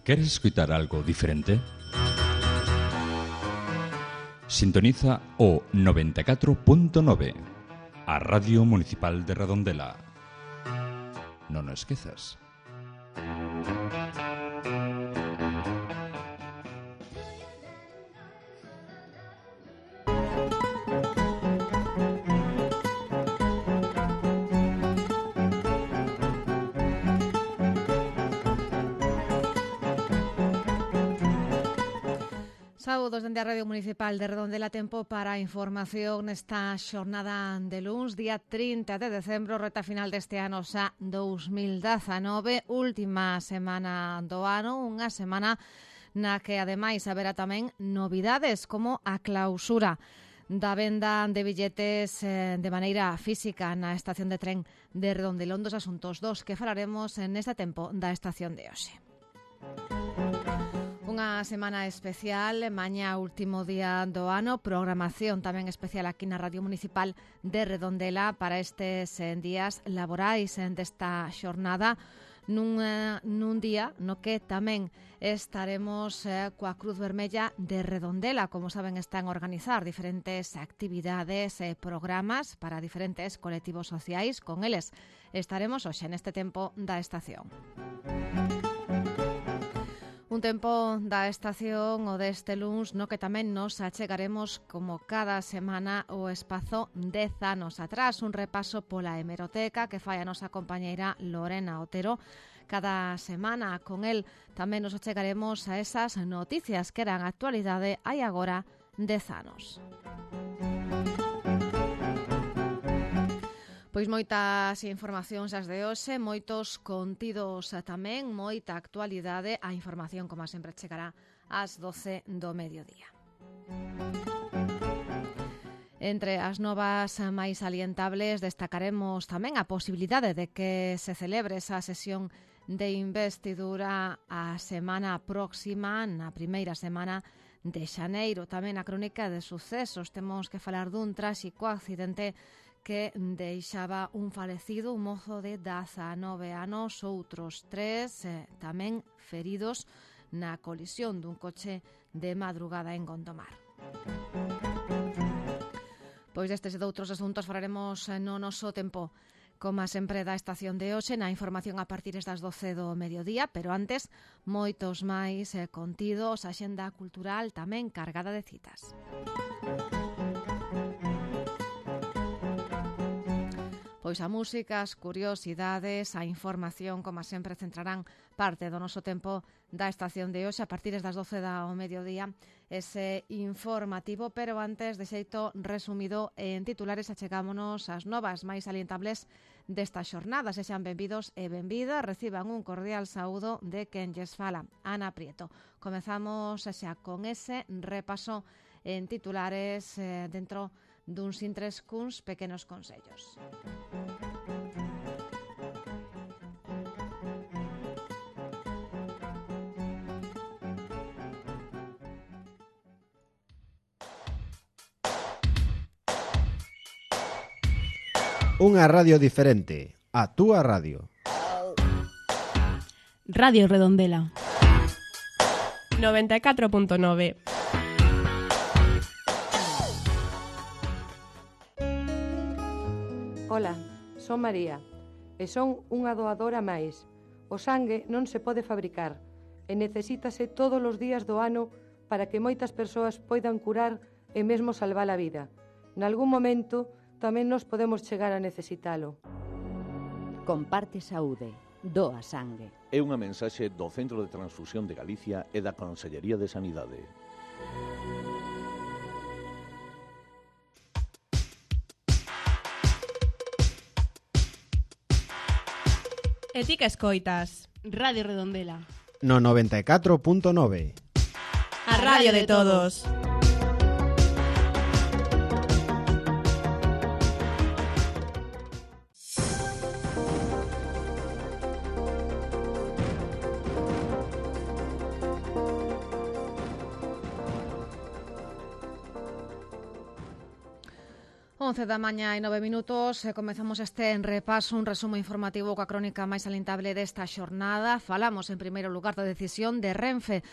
¿Queres escutar algo diferente? Sintoniza o 94.9, a Radio Municipal de Redondela. Non o esquezas. Saúdos dende a Radio Municipal de Redondela. Tempo para a información nesta xornada de luns, día 30 de decembro, reta final deste ano xa 2019, última semana do ano, unha semana na que ademais haberá tamén novidades como a clausura da venda de billetes de maneira física na estación de tren de Redondela, un dos asuntos dos que falaremos neste tempo da estación de hoxe. Unha semana especial, mañá último día do ano, programación tamén especial aquí na Radio Municipal de Redondela para estes días laborais desta xornada, nun día no que tamén estaremos coa Cruz Vermella de Redondela. Como saben, están a organizar diferentes actividades e programas para diferentes colectivos sociais. Con eles estaremos hoxe neste tempo da estación. Un tempo da estación o deste luns no que tamén nos achegaremos como cada semana o espazo 10 anos atrás, un repaso pola hemeroteca que fai a nosa compañeira Lorena Otero cada semana. Con el tamén nos achegaremos a esas noticias que eran actualidade hai agora 10 anos. Pois moitas informacións as de hoxe, moitos contidos tamén, moita actualidade. A información, como sempre, chegará ás 12 do mediodía. Entre as novas máis salientables destacaremos tamén a posibilidade de que se celebre esa sesión de investidura a semana próxima, na primeira semana de xaneiro. Tamén a crónica de sucesos. Temos que falar dun tráxico accidente que deixaba un falecido, un mozo de 19 anos, outros 3 tamén feridos na colisión dun coche de madrugada en Gondomar. Pois destes e doutros asuntos falaremos no noso tempo, como sempre, da estación de hoxe, na información a partir das 12 do mediodía, pero antes, moitos máis contidos, a xenda cultural tamén cargada de citas. Pois a música, as curiosidades, a información, como sempre, centrarán parte do noso tempo da estación de hoxe a partir das 12 do mediodía, ese informativo, pero antes, de xeito resumido en titulares, achegámonos as novas máis salientables desta xornada. Sexan benvidos e benvidas, reciban un cordial saúdo de quen lles fala, Ana Prieto. Comezamos xa con ese repaso en titulares dentro duns intres cuns pequenos consellos. Unha radio diferente, a túa radio. Radio Redondela 94.9. Ola, son María e son unha doadora máis. O sangue non se pode fabricar e necesítase todos os días do ano para que moitas persoas poidan curar e mesmo salvar a vida. Nalgún momento tamén nos podemos chegar a necesitalo. Comparte saúde, doa sangue. É unha mensaxe do Centro de Transfusión de Galicia e da Consellería de Sanidade. E ti que escoitas? Radio Redondela No 94.9. A radio de todos. 11 da mañá e 9 minutos, comezamos este repaso, un resumo informativo coa crónica máis alentable desta xornada. Falamos en primeiro lugar da decisión de Renfe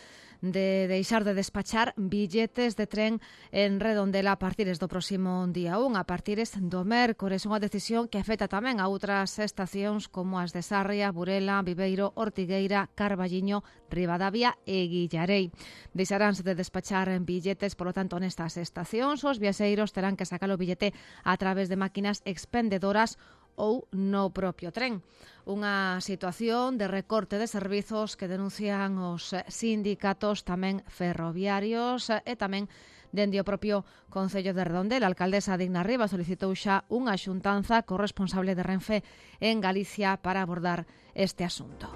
de deixar de despachar billetes de tren en Redondela a partires do próximo día 1, a partires do mércores, unha decisión que afecta tamén a outras estacións como as de Sarria, Burela, Viveiro, Ortigueira, Carballiño, Ribadavia e Guillarei. Deixaránse de despachar billetes, polo tanto, nestas estacións, os viaxeiros terán que sacar o billete a través de máquinas expendedoras ou no propio tren. Unha situación de recorte de servizos que denuncian os sindicatos tamén ferroviarios e tamén dende o propio Concello de Redondela. A alcaldesa Digna Rivas solicitou xa unha xuntanza co responsable de Renfe en Galicia para abordar este asunto.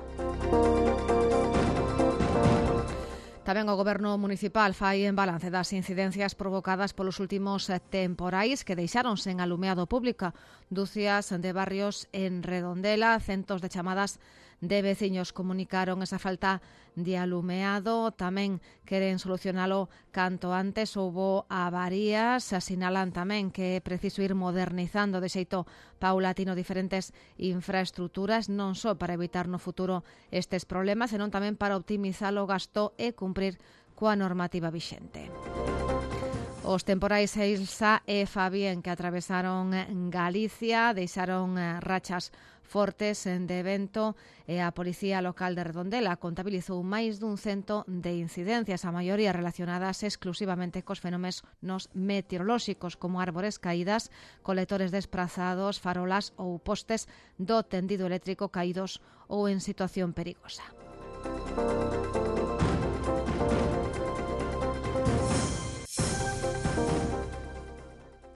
Tamén o Goberno municipal fai en balance das incidencias provocadas polos últimos temporais que deixaron sen alumeado público dúcias de barrios en Redondela. Centos de chamadas de veciños comunicaron esa falta de alumeado. Tamén queren solucionalo canto antes. Houbo avarías, asinalan tamén que é preciso ir modernizando de xeito paulatino diferentes infraestructuras, non só para evitar no futuro estes problemas, senón tamén para optimizar o gasto e cumprir coa normativa vixente. Os temporais Elsa e Fabien que atravesaron Galicia deixaron rachas fortes de vento e a Policía Local de Redondela contabilizou máis dun 100 de incidencias, a maioría relacionadas exclusivamente cos fenómenos meteorolóxicos como árbores caídas, colectores desprazados, farolas ou postes do tendido eléctrico caídos ou en situación perigosa.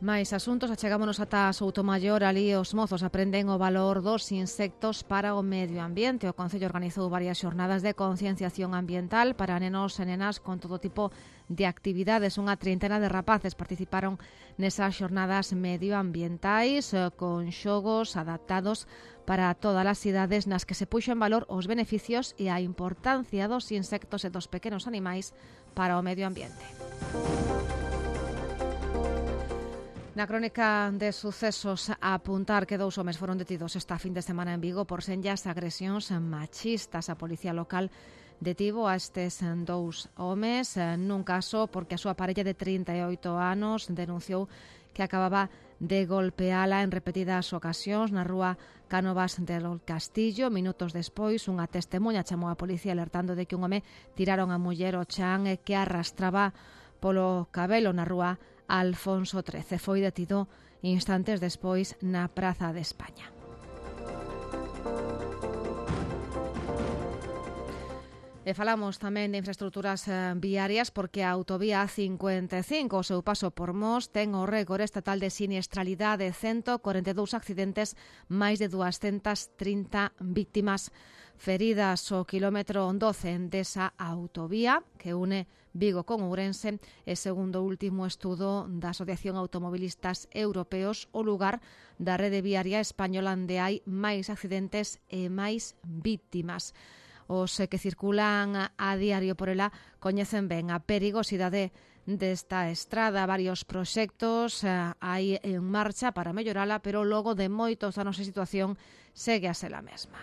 Mais asuntos, achegámonos ata Soutomaior, ali os mozos aprenden o valor dos insectos para o medio ambiente. O Concello organizou varias xornadas de concienciación ambiental para nenos e nenas con todo tipo de actividades. Unha trintena de rapaces participaron nesas xornadas medioambientais con xogos adaptados para todas as cidades nas que se puxo en valor os beneficios e a importancia dos insectos e dos pequenos animais para o medio ambiente. Na crónica de sucesos, a apuntar que 2 homes foron detidos esta fin de semana en Vigo por senllas agresións machistas. A Policía Local detivo a estes 2 homes nun caso porque a súa parella de 38 anos denunciou que acababa de golpeala en repetidas ocasións na rúa Cánovas del Castillo. Minutos despois, unha testemunha chamou a policía alertando de que un home tiraron a muller ao chan e que arrastraba polo cabelo na rúa Alfonso XIII. Foi detido instantes despois na Praza de España. E falamos tamén de infraestructuras viarias porque a autovía A55, o seu paso por Mos, ten o récord estatal de siniestralidade, 142 accidentes, máis de 230 víctimas feridas. O quilómetro 12 desa autovía que une Vigo con Ourense e, segundo o último estudo da Asociación Automobilistas Europeos, o lugar da rede viaria española onde hai máis accidentes e máis víctimas. Os que circulan a diario por ela coñecen ben a perigosidade desta estrada. Varios proxectos hai en marcha para mellorala, pero logo de moitos anos a situación segue a ser a mesma.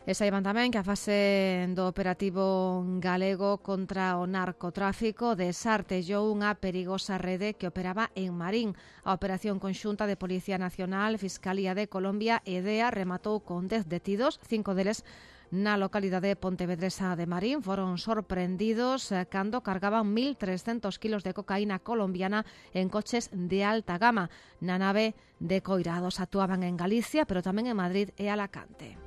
E saiban tamén que a fase do operativo galego contra o narcotráfico desartellou unha perigosa rede que operaba en Marín. A operación conxunta de Policía Nacional, Fiscalía de Colombia e DEA rematou con 10 detidos, 5 deles na localidade pontevedresa de Marín. Foron sorprendidos cando cargaban 1.300 kilos de cocaína colombiana en coches de alta gama. Na nave de Coirados actuaban en Galicia, pero tamén en Madrid e Alacante.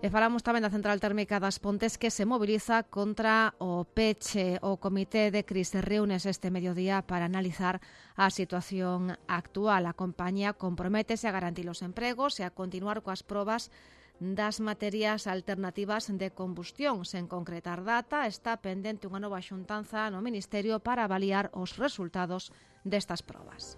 E falamos tamén da central térmica das Pontes que se moviliza contra o peche. O Comité de Crise reúnes este mediodía para analizar a situación actual. A compañía comprométese a garantir os empregos e a continuar coas probas das materias alternativas de combustión. Sen concretar data, está pendente unha nova xuntanza no Ministerio para avaliar os resultados destas probas.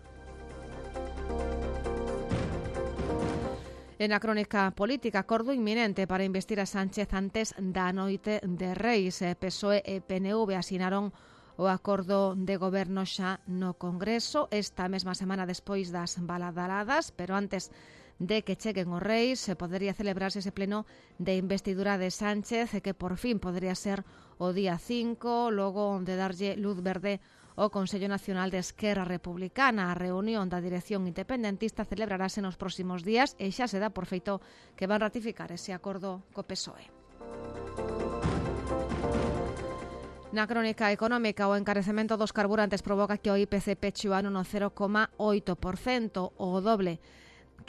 En a crónica política, acordo inminente para investir a Sánchez antes da noite de Reis. PSOE e PNV asinaron o acordo de goberno xa no Congreso esta mesma semana despois das baladaradas, pero antes de que cheguen os Reis podería celebrarse ese pleno de investidura de Sánchez, que por fin podría ser o día 5, logo de darlle luz verde o Consello Nacional de Esquerra Republicana. A reunión da dirección independentista celebrarase nos próximos días e xa se dá por feito que van ratificar ese acordo co PSOE. Na crónica económica, o encarecemento dos carburantes provoca que o IPC peche o ano no 0,8%, o doble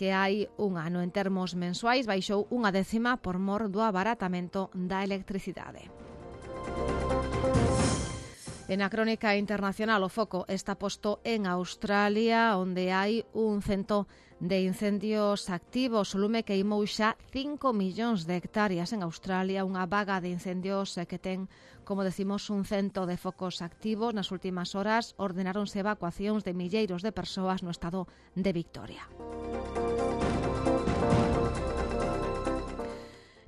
que hai un ano. En termos mensuais, baixou 0,1 por mor do abaratamento da electricidade. En a crónica internacional, o foco está posto en Australia, onde hai un cento de incendios activos. O lume queimou xa 5 millóns de hectáreas en Australia, unha vaga de incendios que ten, como decimos, un cento de focos activos. Nas últimas horas ordenáronse evacuacións de milleiros de persoas no estado de Victoria.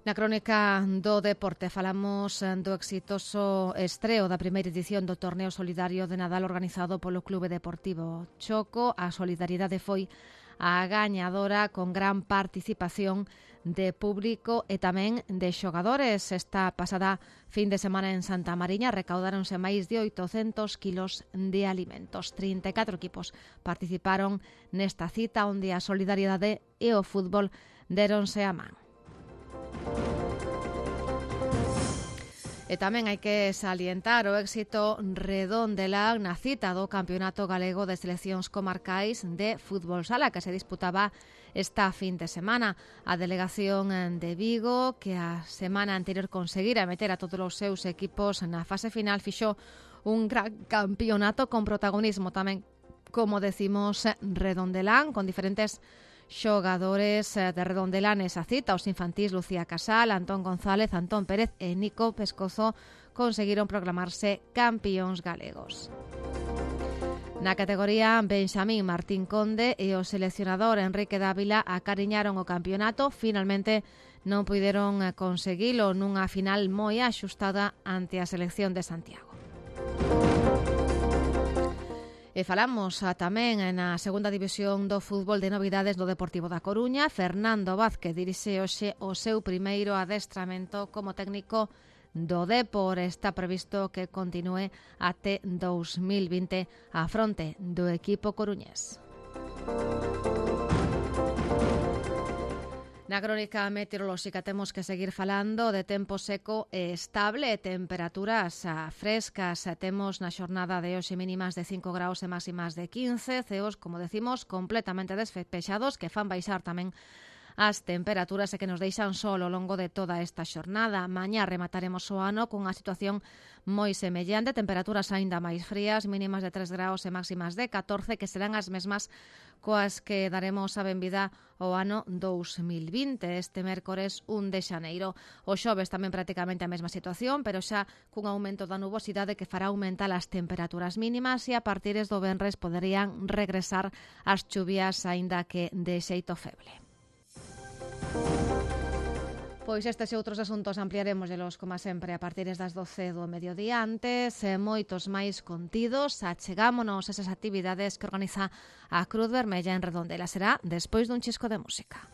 Na crónica do deporte falamos do exitoso estreo da primeira edición do torneo solidario de Nadal organizado polo Clube Deportivo Choco. A solidaridade foi a gañadora con gran participación de público e tamén de xogadores. Esta pasada fin de semana en Santa Mariña recaudáronse máis de 800 kilos de alimentos. 34 equipos participaron nesta cita onde a solidaridade e o fútbol déronse a man. E tamén hai que salientar o éxito redondelán na cita do Campeonato Galego de Seleccións Comarcais de Fútbol Sala que se disputaba esta fin de semana. A delegación de Vigo, que a semana anterior conseguira meter a todos os seus equipos na fase final, fixo un gran campeonato con protagonismo tamén, como decimos, redondelán, con diferentes xogadores de redondelanes a cita. Os infantís Lucía Casal, Antón González, Antón Pérez e Nico Pescozo conseguiron proclamarse campións galegos. Na categoría Benxamín, Martín Conde e o seleccionador Enrique Dávila acariñaron o campeonato. Finalmente non puideron conseguilo nunha final moi axustada ante a selección de Santiago. E falamos tamén na segunda división do fútbol de novidades do Deportivo da Coruña. Fernando Vázquez dirixe hoxe o seu primeiro adestramento como técnico do Depor. Está previsto que continúe até 2020 á fronte do equipo coruñés. Na crónica meteorolóxica temos que seguir falando de tempo seco e estable e temperaturas frescas. Temos na xornada de hoxe mínimas de 5 graus e máximas de 15, ceos, como decimos, completamente despexados que fan baixar tamén as temperaturas e que nos deixan sol ao longo de toda esta xornada. Mañá remataremos o ano cunha situación moi semellante, temperaturas aínda máis frías, mínimas de 3 graus e máximas de 14, que serán as mesmas coas que daremos a benvida ao ano 2020, este mércores 1 de xaneiro. O xoves tamén prácticamente a mesma situación, pero xa cun aumento da nubosidade que fará aumentar as temperaturas mínimas e a partir do venres poderían regresar as chuvias aínda que de xeito feble. Pois estes e outros asuntos ampliaremoslos, como sempre, a partir das 12 do mediodía. Antes, moitos máis contidos. Achegámonos esas actividades que organiza a Cruz Vermella en Redondela. Será despois dun chisco de música.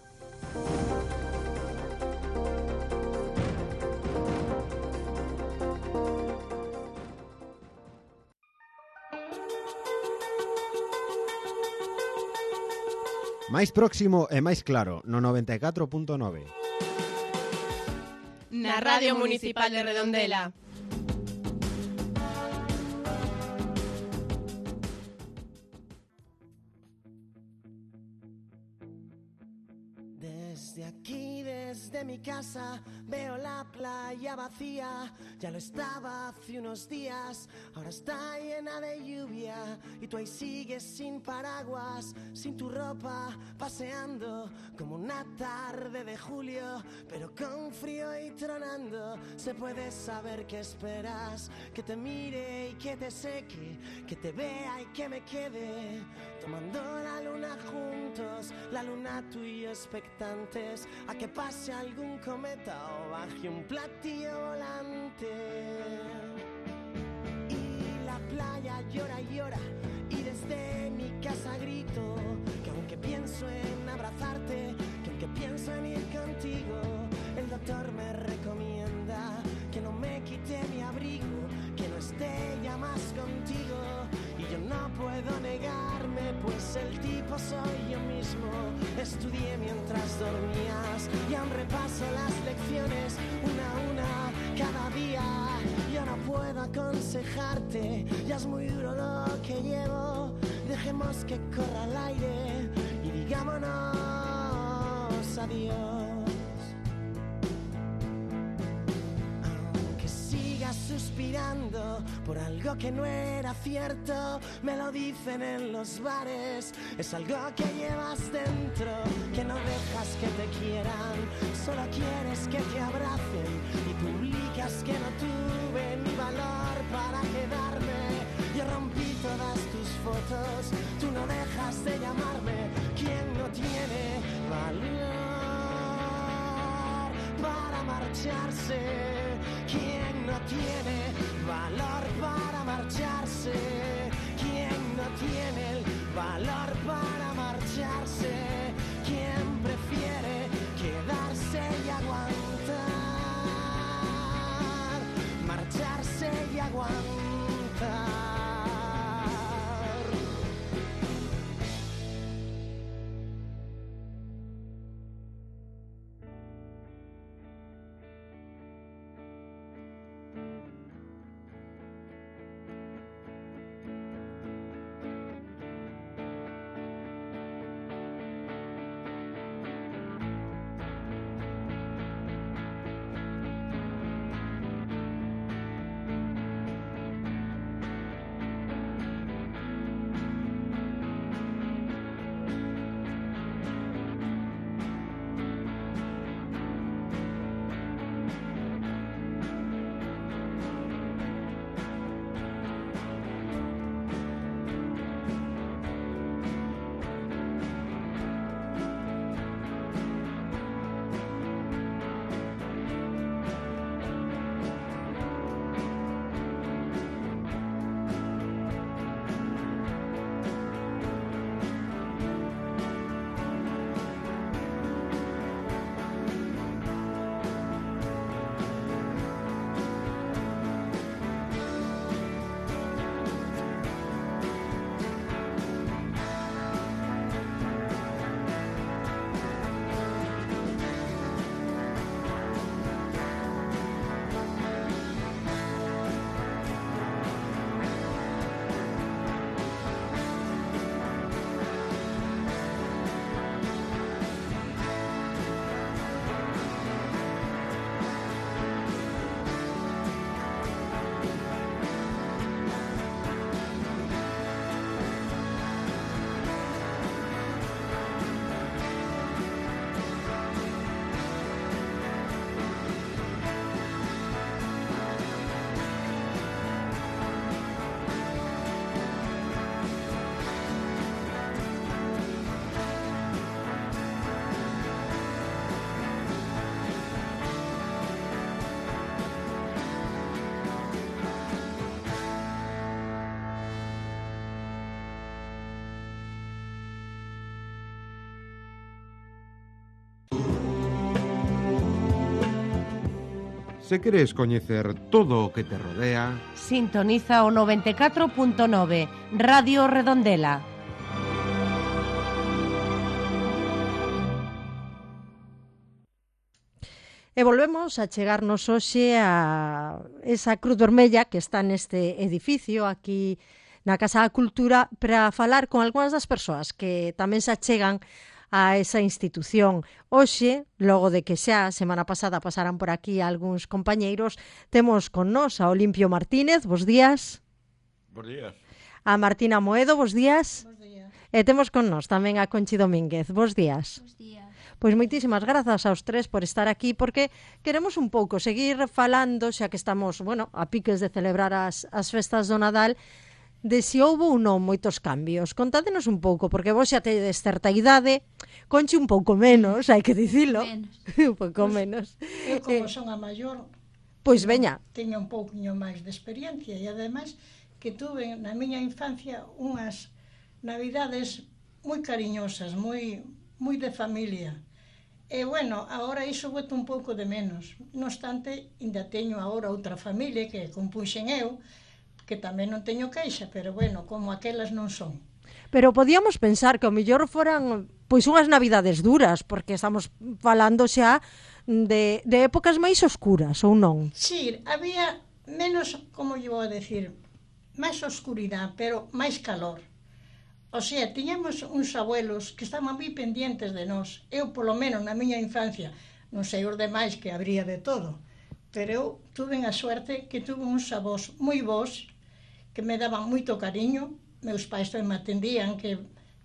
Máis próximo e máis claro, no 94.9. Na Radio Municipal de Redondela. Desde aquí, desde mi casa, veo la playa vacía. Ya lo estaba hace unos días, ahora está llena de lluvia. Y tú ahí sigues sin paraguas, sin tu ropa, paseando como una tarde de julio, pero con frío y tronando. Se puede saber qué esperas, que te mire y que te seque, que te vea y que me quede, tomando la luna juntos, la luna tú y yo expectante. antes a que pase algún cometa o baje un platillo volante. Y la playa llora y llora y desde mi casa grito que aunque pienso en abrazarte, que aunque pienso en ir contigo, el doctor me recomienda que no me quite mi abrigo, que no esté ya más contigo. Y yo no puedo negarme, pues el tipo soy yo mismo. Estudié mientras dormías y aún repaso las lecciones una a una cada día. Yo no puedo aconsejarte, ya es muy duro lo que llevo. Dejemos que corra el aire y digámonos adiós. Suspirando por algo que no era cierto, me lo dicen en los bares. Es algo que llevas dentro, que no dejas que te quieran, solo quieres que te abracen y publicas que no tuve ni valor para quedarme. Yo rompí todas tus fotos, tú no dejas de llamarme. ¿Quién no tiene valor para marcharse? ¿Quién no tiene valor para marcharse? ¿Quién no tiene el valor para marcharse? ¿Quién prefiere quedarse y aguantar? Marcharse y aguantar. Se queres coñecer todo o que te rodea, sintoniza o 94.9 Radio Redondela. E volvemos a chegarnos hoxe a esa Cruz Vermella que está neste edificio aquí na Casa da Cultura para falar con algunhas das persoas que tamén se achegan a esa institución. Hoxe, logo de que xa semana pasada pasaran por aquí algúns compañeiros, temos con nós a Olimpio Martínez, bos días. Bos días. A Martina Moedo, bos días. Bos días. E temos con nós tamén a Conchi Domínguez, bos días. Bos días. Pois moitísimas grazas aos tres por estar aquí, porque queremos un pouco seguir falando, xa que estamos, a piques de celebrar as festas do Nadal, de si houve ou non moitos cambios. Contádenos un pouco, porque vos xa tedes certa idade, Conchi un pouco menos, hai que dicilo. Un pouco menos. Eu, como son a maior, pois veña. Teño un pouquinho máis de experiencia e, ademais, que tuve na miña infancia unhas navidades moi cariñosas, moi de familia. E, bueno, agora iso boto un pouco de menos. Non obstante, ainda teño agora outra familia que compuxen eu, que tamén non teño queixa, pero, bueno, como aquelas non son. Pero podíamos pensar que ao mellor foran pois unhas navidades duras, porque estamos falando xa de épocas máis oscuras, ou non? Sí, había menos, como lle vou a decir, máis oscuridade, pero máis calor. O sea, tiñamos uns abuelos que estaban moi pendientes de nós. Eu, polo menos, na miña infancia, non sei os demais que habría de todo, pero eu tuve a suerte que tuve uns avós moi bons, que me daban moito cariño. Meus pais tamén me atendían, que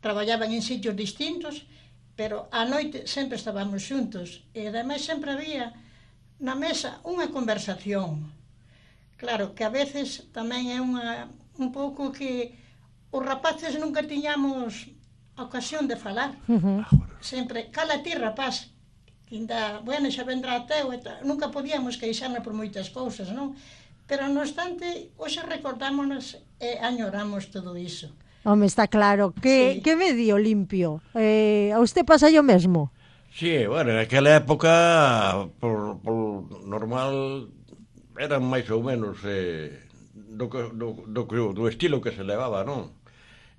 traballaban en sitios distintos, pero a noite sempre estábamos xuntos. E ademais sempre había na mesa unha conversación. Claro, que a veces tamén é un pouco que os rapaces nunca tiñamos a ocasión de falar. Sempre, cala ti, rapaz, que ainda, bueno, xa vendrá teu, nunca podíamos queixarnos por moitas cousas, non? Pero, non obstante, hoxe recordámonos e añoramos todo iso. Home, está claro. Que medio limpio? A usted pasa yo mesmo? Sí, bueno, naquela época, por normal, eran máis ou menos do estilo que se levaba, non?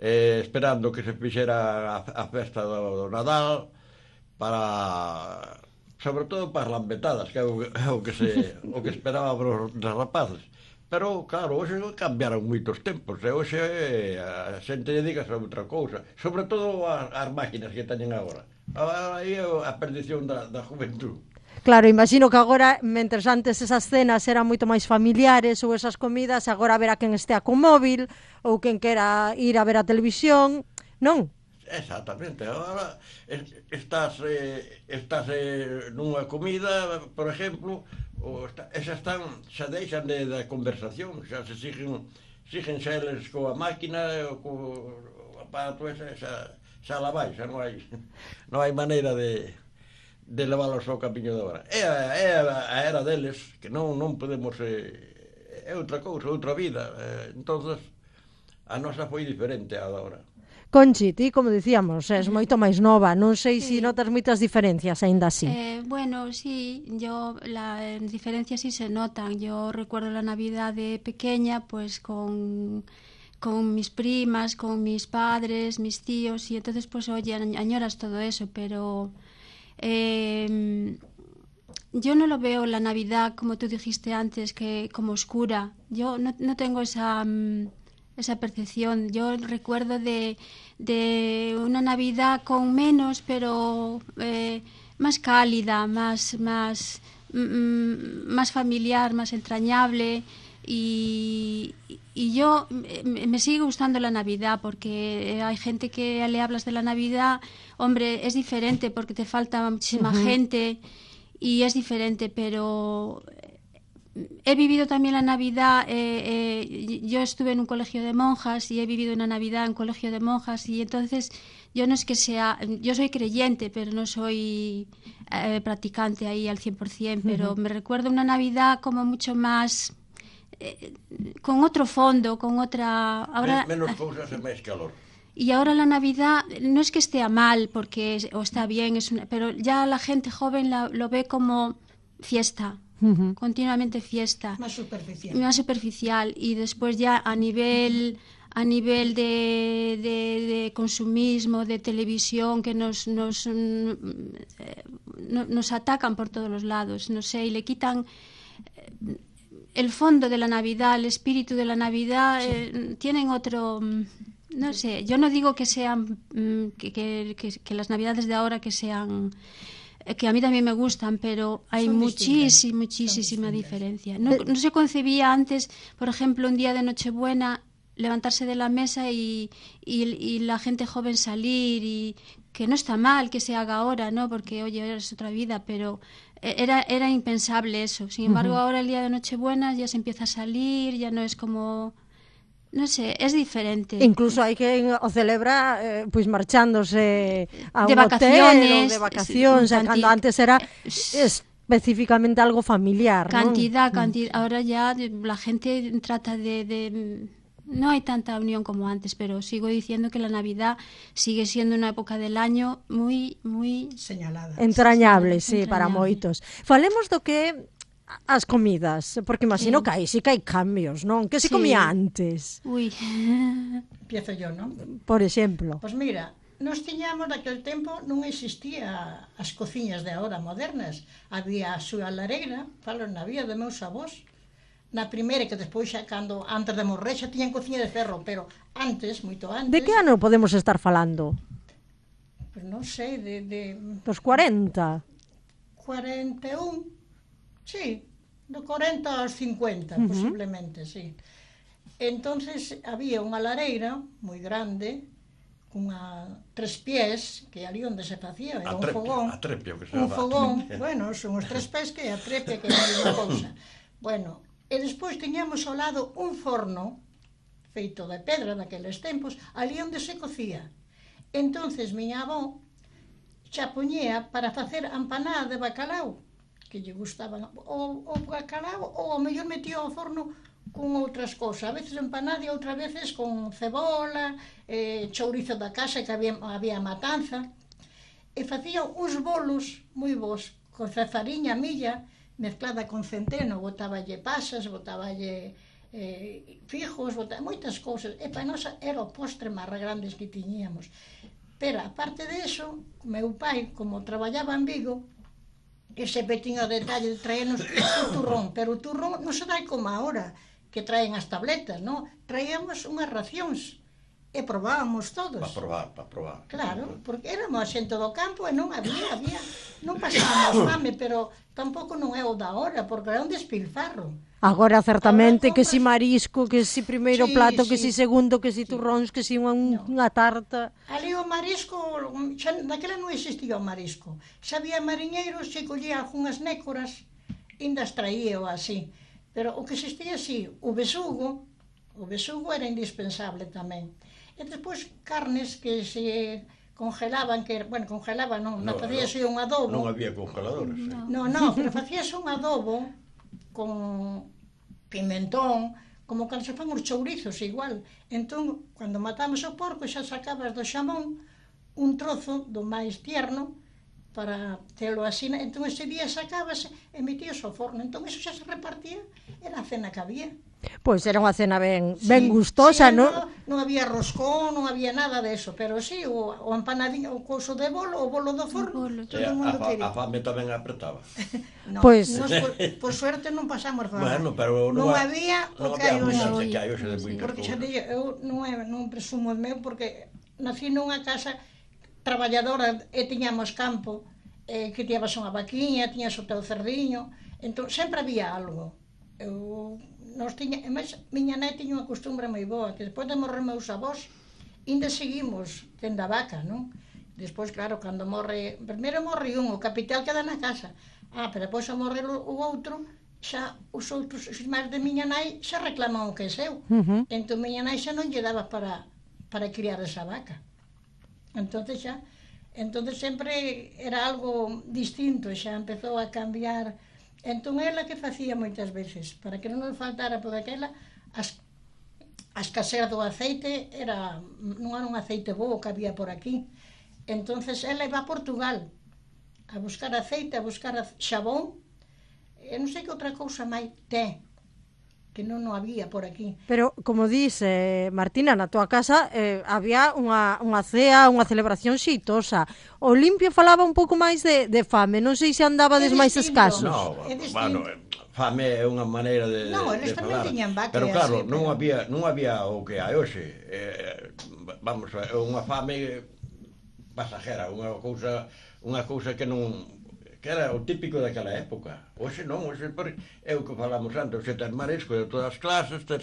Esperando que se fixera a festa do Nadal para... sobre todo para as lambetadas, que é o que esperaba os rapaces. Pero, claro, hoxe cambiaron moitos tempos, e hoxe a xente dedícase a outra cousa, sobre todo as máquinas que teñen agora. Aí é a perdición da juventud. Claro, imagino que agora, mentres antes esas cenas eran moito máis familiares ou esas comidas, agora verá quen estea con móvil ou quen quera ir a ver a televisión, non? Exactamente, agora estás nunha comida, por exemplo, xa deixan da conversación, xa se siguen xa eles coa máquina, co aparato, xa la vai, xa non hai maneira de leválos ao camiño de agora. É a era deles, que non podemos, é outra cousa, outra vida, entonces a nosa foi diferente a da agora. Conchi, ti, como dicíamos, és moito máis nova, non sei se notas moitas diferencias aínda así. Bueno, sí, las diferencias sí se notan. Yo recuerdo la Navidad de pequeña, pues con mis primas, con mis padres, mis tíos, y entonces pues oye, añoras todo eso, pero yo no lo veo la Navidad, como tú dijiste antes, que como oscura. Yo no tengo esa percepción. Yo recuerdo de una Navidad con menos, pero más cálida, más familiar, más entrañable, y yo me sigue gustando la Navidad, porque hay gente que le hablas de la Navidad, hombre, es diferente porque te falta muchísima gente y es diferente, pero he vivido también la Navidad, yo estuve en un colegio de monjas y he vivido una Navidad en un colegio de monjas, y entonces yo no es que sea, yo soy creyente, pero no soy practicante ahí al 100%, pero me recuerdo una Navidad como mucho más, con otro fondo, con otra... Ahora, menos cosas e máis calor. Y ahora la Navidad no es que esté mal, o está bien, pero ya la gente joven lo ve como fiesta. Continuamente fiesta, más superficial, y después ya a nivel de consumismo, de televisión, que nos atacan por todos los lados, no sé, y le quitan el fondo de la Navidad, el espíritu de la Navidad. Tienen otro, no sé, yo no digo que sean que las Navidades de ahora que sean, que a mí también me gustan, pero hay muchísima diferencia. No se concebía antes, por ejemplo, un día de Nochebuena, levantarse de la mesa y la gente joven salir, y que no está mal que se haga ahora, ¿no? Porque, oye, es otra vida, pero era impensable eso. Sin embargo, ahora el día de Nochebuena ya se empieza a salir, ya no es como... non sei, é diferente. Incluso hai que o celebra pois marchándose a de un hotel ou vacaciones, de vacacións, cando antes era específicamente algo familiar, cantidad. Ahora ya la gente trata de no hay tanta unión como antes, pero sigo diciendo que la Navidad sigue siendo una época del año muy señalada, entrañable, sí, para moitos. Falemos do que as comidas, porque imagino que aí sí que hai cambios, non? Que se comía antes? Ui. Empiezo yo, non? Por exemplo. Pois mira, nós tiñamos daquele tempo non existía as cociñas de agora modernas. Había a súa lareira, falo na vía de meus avós, na primeira, que despois xa cando antes de morrer xa tiñan cociña de ferro, pero antes, moito antes. De que ano podemos estar falando? Pois non sei, dos 40. 41. Sí, do 40 aos 50, posiblemente, sí. Entonces había unha lareira moi grande, cunha 3 pies, que ali onde se facía, era un fogón. A trepia, que se un fogón, bueno, son os 3 pés que a trepia, que é a mesma cousa. Bueno, e despois tiñamos ao lado un forno feito de pedra daqueles tempos, ali onde se cocía. Entonces miña avó xa poñía para facer empanada de bacalao, que lle gustaban o bacalao, ou ao mellor metía ao forno con outras cousas, a veces empanada e outras veces con cebola, chourizo da casa, que había matanza, e facía uns bolos moi bons, con fariña milla, mezclada con centeno, botáballe pasas, botáballe fijos, moitas cousas, e para nós era o postre máis grandes que tiñíamos. Pero, aparte de eso, meu pai, como traballaba en Vigo, ese pequeno detalle de traernos o turrón, pero o turrón non se dai como ahora, que traen as tabletas, non? Traíamos unhas racións e probábamos todos. Para probar. Claro, porque éramos a xente do campo e non había, non pasábamos fame, pero tampouco non é o da hora, porque era un despilfarro. Agora, certamente, que si marisco, que si primeiro plato, que si segundo, que si turróns, que si unha tarta. Ali o marisco, naquela non existía o marisco. Xa había mariñeiros, se collía algunhas nécoras, ainda as traía ou así. Pero o que existía, sí, o besugo era indispensable tamén. E despois carnes que se congelaban, congelaban non, facíase un adobo. Non había congeladores. Non, pero facíase un adobo con pimentón, como cando se fan os chourizos igual. Entón, cando matamos o porco, xa sacabas do xamón un trozo do máis tierno para telo así. Entón, ese día sacábase e metíase ao forno. Entón, eso xa se repartía, era a cena que había. Pois era unha cena ben gustosa, non? Non había roscón, non había nada de eso, pero sí, o empanadinho, o couso de bolo, o bolo do forno, todo o mundo quería. A fame tamén apretaba. Pois, por suerte non pasamos fame. Bueno, pero non había o que hai hoxe. Porque xa digo, eu non presumo o meu, porque nací nunha casa traballadora e tiñamos campo, que tiñabas unha vaquiña, tiñas o teu cerdiño, entón sempre había algo. Miña nai tiña unha costumbre moi boa, que despois de morrer meus avós, ainda seguimos tendo a vaca, non? Despois, claro, cando morre, primeiro morre un, o capital queda na casa, pero depois a morrer o outro, xa os outros, os irmáns de miña nai, xa reclaman o que é seu. Entón, miña nai xa non lle daba para criar esa vaca. Entón, sempre era algo distinto, xa empezou a cambiar. Entón, ela que facía moitas veces, para que non nos faltara, porque aquela, as escasez do aceite non era un aceite bo que había por aquí. Entón, ela iba a Portugal a buscar aceite, a buscar xabón, e non sei que outra cousa máis ten, que non había por aquí. Pero, como dice Martina, na tua casa había unha cea, unha celebración xeitosa. O Limpio falaba un pouco máis de fame, non sei se andabades máis escasos. No, bueno, fame é unha maneira de falar. Pero claro, non había o que hai hoxe. Vamos, unha fame pasajera, unha cousa que non... que era o típico daquela época. Hoxe non, hoxe é o que falamos antes, hoxe ten marisco de todas as clases, ten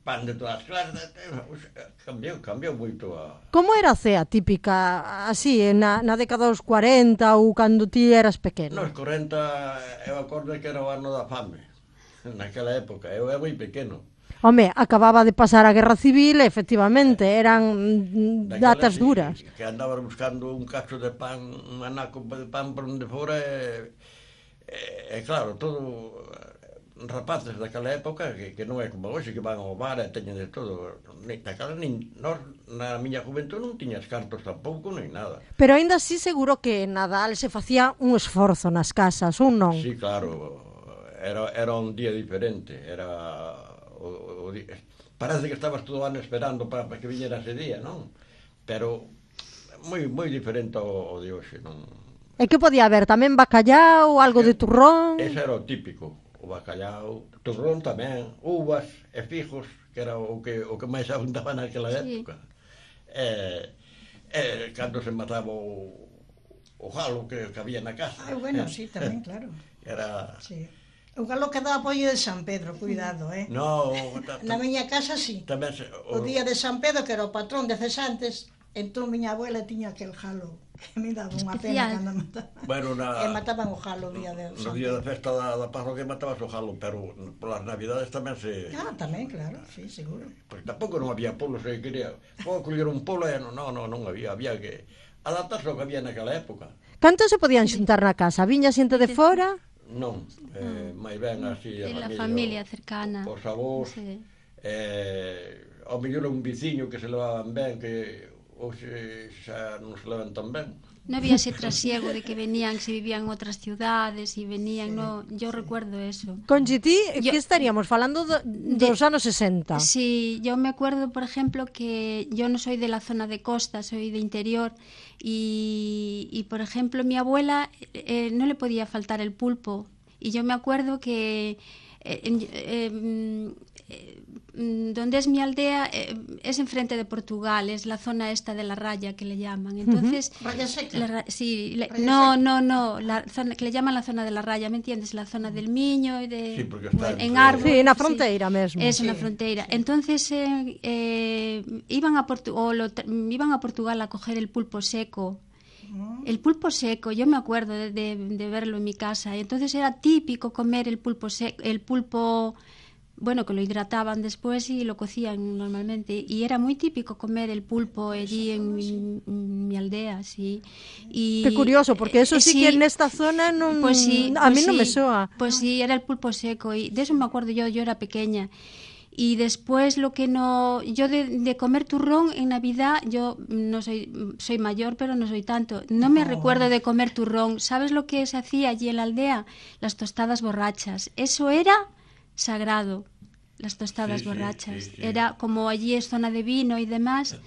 pan de todas as clases, cambiou moito a... Como era a cea típica, así, na década dos 40 ou cando ti eras pequeno? Nos 40, eu acordo que era o ano da fame, naquela época, eu era moi pequeno. Home, acababa de pasar a Guerra Civil e, efectivamente, eran datas duras. Que andabas buscando un cacho de pan, un anaco de pan por onde fora e claro, todo rapaces daquela época que non é como hoxe, que van ao bar e teñen de todo. Daquela, nós, na miña juventud non tiñas cartos tampouco, nem nada. Pero aínda así seguro que Nadal se facía un esforzo nas casas, ou non? Sí, claro, era un día diferente, parece que estabas todo o ano esperando para que viñera ese día, non? Pero moi diferente ao de hoxe, non? E que podía haber? Tamén bacallau, algo de turrón? Ese era o típico, o bacallau, turrón tamén, uvas e figos, que era o que máis abundaba naquela época. Cando se mataba o galo que había na casa. Bueno, sí, tamén, claro. Era... Sí. O galo que daba pollo de San Pedro, cuidado, No, na miña casa, sí. O día de San Pedro, que era o patrón de cesantes, entón miña abuela tiña aquel galo, que me daba unha pena cando mataban. Bueno, e mataban o galo o día de No San Pedro. día da festa da parroquia matabas o galo, pero polas navidades tamén se... Tamén, claro, sí, seguro. Porque tampouco non había polos, se quería... Vou coller un polo e non había que adaptarse ao que había naquela época. Canto se podían xuntar na casa? Viña xente de fora? Non, máis ben así a familia cercana. Os avós, ao mellor un viciño que se levaban ben, que hoxe xa non se levan tan ben. Non había ese trasiego de que venían, se vivían en outras ciudades e venían, no, yo recuerdo eso. Conchi, ti, que estaríamos falando dos anos 60? Sí, yo me acuerdo, por ejemplo, que yo no soy de la zona de costa, soy de interior y por ejemplo, mi abuela no le podía faltar el pulpo y yo me acuerdo que donde es mi aldea es enfrente de Portugal, es la zona esta de la raya que le llaman. Entonces, Raya Seca. No, la zona que le llaman la zona de la raya, ¿me entiendes? La zona del Miño y de sí, porque está en árbol. Sí, na fronteira mesmo. Es una fronteira. Entonces iban a Portugal a coger el pulpo seco. El pulpo seco, yo me acuerdo de verlo en mi casa. Y entonces era típico comer el pulpo seco, bueno, que lo hidrataban después y lo cocían normalmente. Y era muy típico comer el pulpo allí en mi aldea, sí. Y, qué curioso, porque eso sí que en esta zona non, pues sí, a mí non me soa. Pues sí, era el pulpo seco. Y de eso me acuerdo yo era pequeña. Y después yo de comer turrón en Navidad, yo no soy mayor, pero no soy tanto. No me recuerdo de comer turrón. ¿Sabes lo que se hacía allí en la aldea? Las tostadas borrachas. Eso era sagrado, las tostadas borrachas. Sí. Era como allí es zona de vino y demás,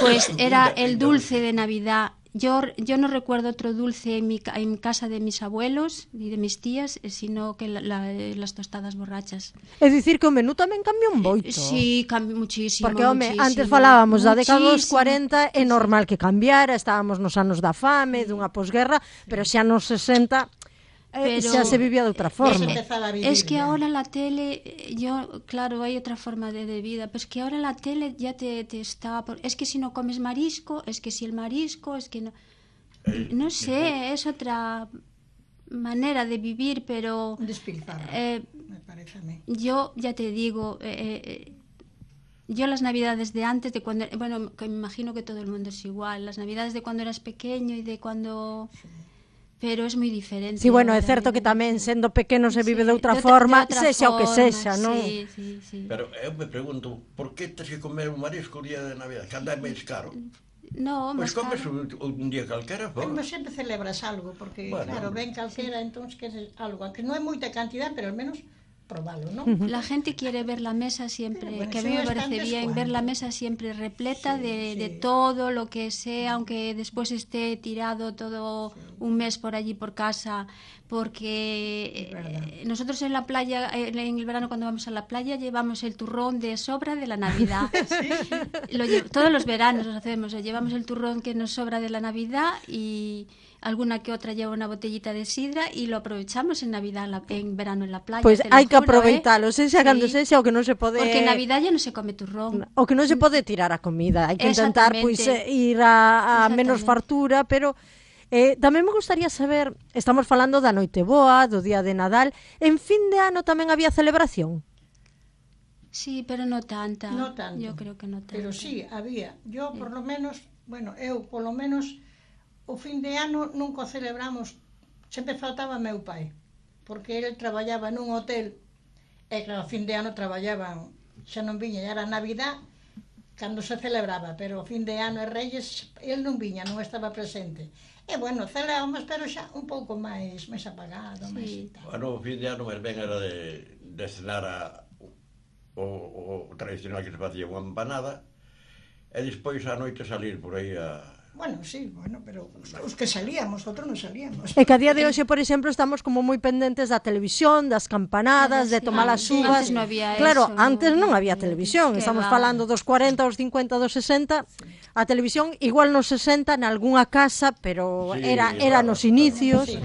pues era el dulce de Navidad. Yo no recuerdo otro dulce en casa de mis abuelos y de mis tías, sino que las tostadas borrachas. É dicir que o menú tamén cambiou un boito. Sí, cambiou muchísimo. Porque, antes falábamos da década dos 40, é normal que cambiara, estábamos nos anos da fame, dunha posguerra, pero xa nos 60... xa se vivía de outra forma. Es que ahora la tele, claro, hay otra forma de vida, pero es que ahora la tele ya te está... Es que si no comes marisco, es que si el marisco, es que no... No sé, es otra manera de vivir, pero... me parece a mí. Yo ya te digo... Yo las navidades de antes, de cuando... Bueno, que me imagino que todo el mundo es igual. Las navidades de cuando eras pequeño y de cuando... Pero es moi diferente. Sí, bueno, é certo que tamén sendo pequeno se vive de outra forma, sexa o que sexa, non? Sí. Pero eu me pregunto, por que tens que comer un marisco o día de Navidad? Que anda máis caro. No, pois comes un día calquera, Pero sempre celebras algo, porque, claro, ven calquera, entón que é algo, que non é moita cantidad, pero al menos probalo, ¿no? La gente quiere ver la mesa siempre, bueno, que a mí me parece bien, ver la mesa siempre repleta de todo lo que sea, aunque después esté tirado todo un mes por allí por casa, porque nosotros en la playa, en el verano cuando vamos a la playa, llevamos el turrón de sobra de la Navidad. Todos los veranos lo hacemos, llevamos el turrón que nos sobra de la Navidad y... alguna que otra lleva una botellita de sidra y lo aprovechamos en Navidad, en verano en la playa. Pois hai que aproveitalo, sexa cando sexa, o que non se pode... Porque en Navidad ya non se come turrón. O que non se pode tirar a comida, hai que intentar pois ir a menos fartura, pero tamén me gustaría saber, estamos falando da Noiteboa, do día de Nadal, en fin de ano tamén había celebración? Sí, pero no tanta. No tanto. Yo creo que no tanto. Pero sí, había. Yo, por lo menos, eu, polo menos, o fin de ano nunca o celebramos. Sempre faltaba meu pai, porque ele traballaba nun hotel, e claro, o fin de ano traballaban, xa non viña, era Navidad, cando se celebraba, pero o fin de ano e Reyes, ele non viña, non estaba presente. E, celebramos, pero xa un pouco máis apagado, máis e tal. O fin de ano, máis ben, era de cenar o tradicional que se facía unha empanada, e despois a noite salir por aí a... Pero os que salíamos, outros non salíamos. E que a día de hoxe, por exemplo, estamos como moi pendentes da televisión, das campanadas, de tomar as uvas. Antes non había claro, eso, antes non había televisión. Estamos falando dos 40, dos 50, dos 60. A televisión igual nos 60 nalgúnha casa, pero era nos inicios.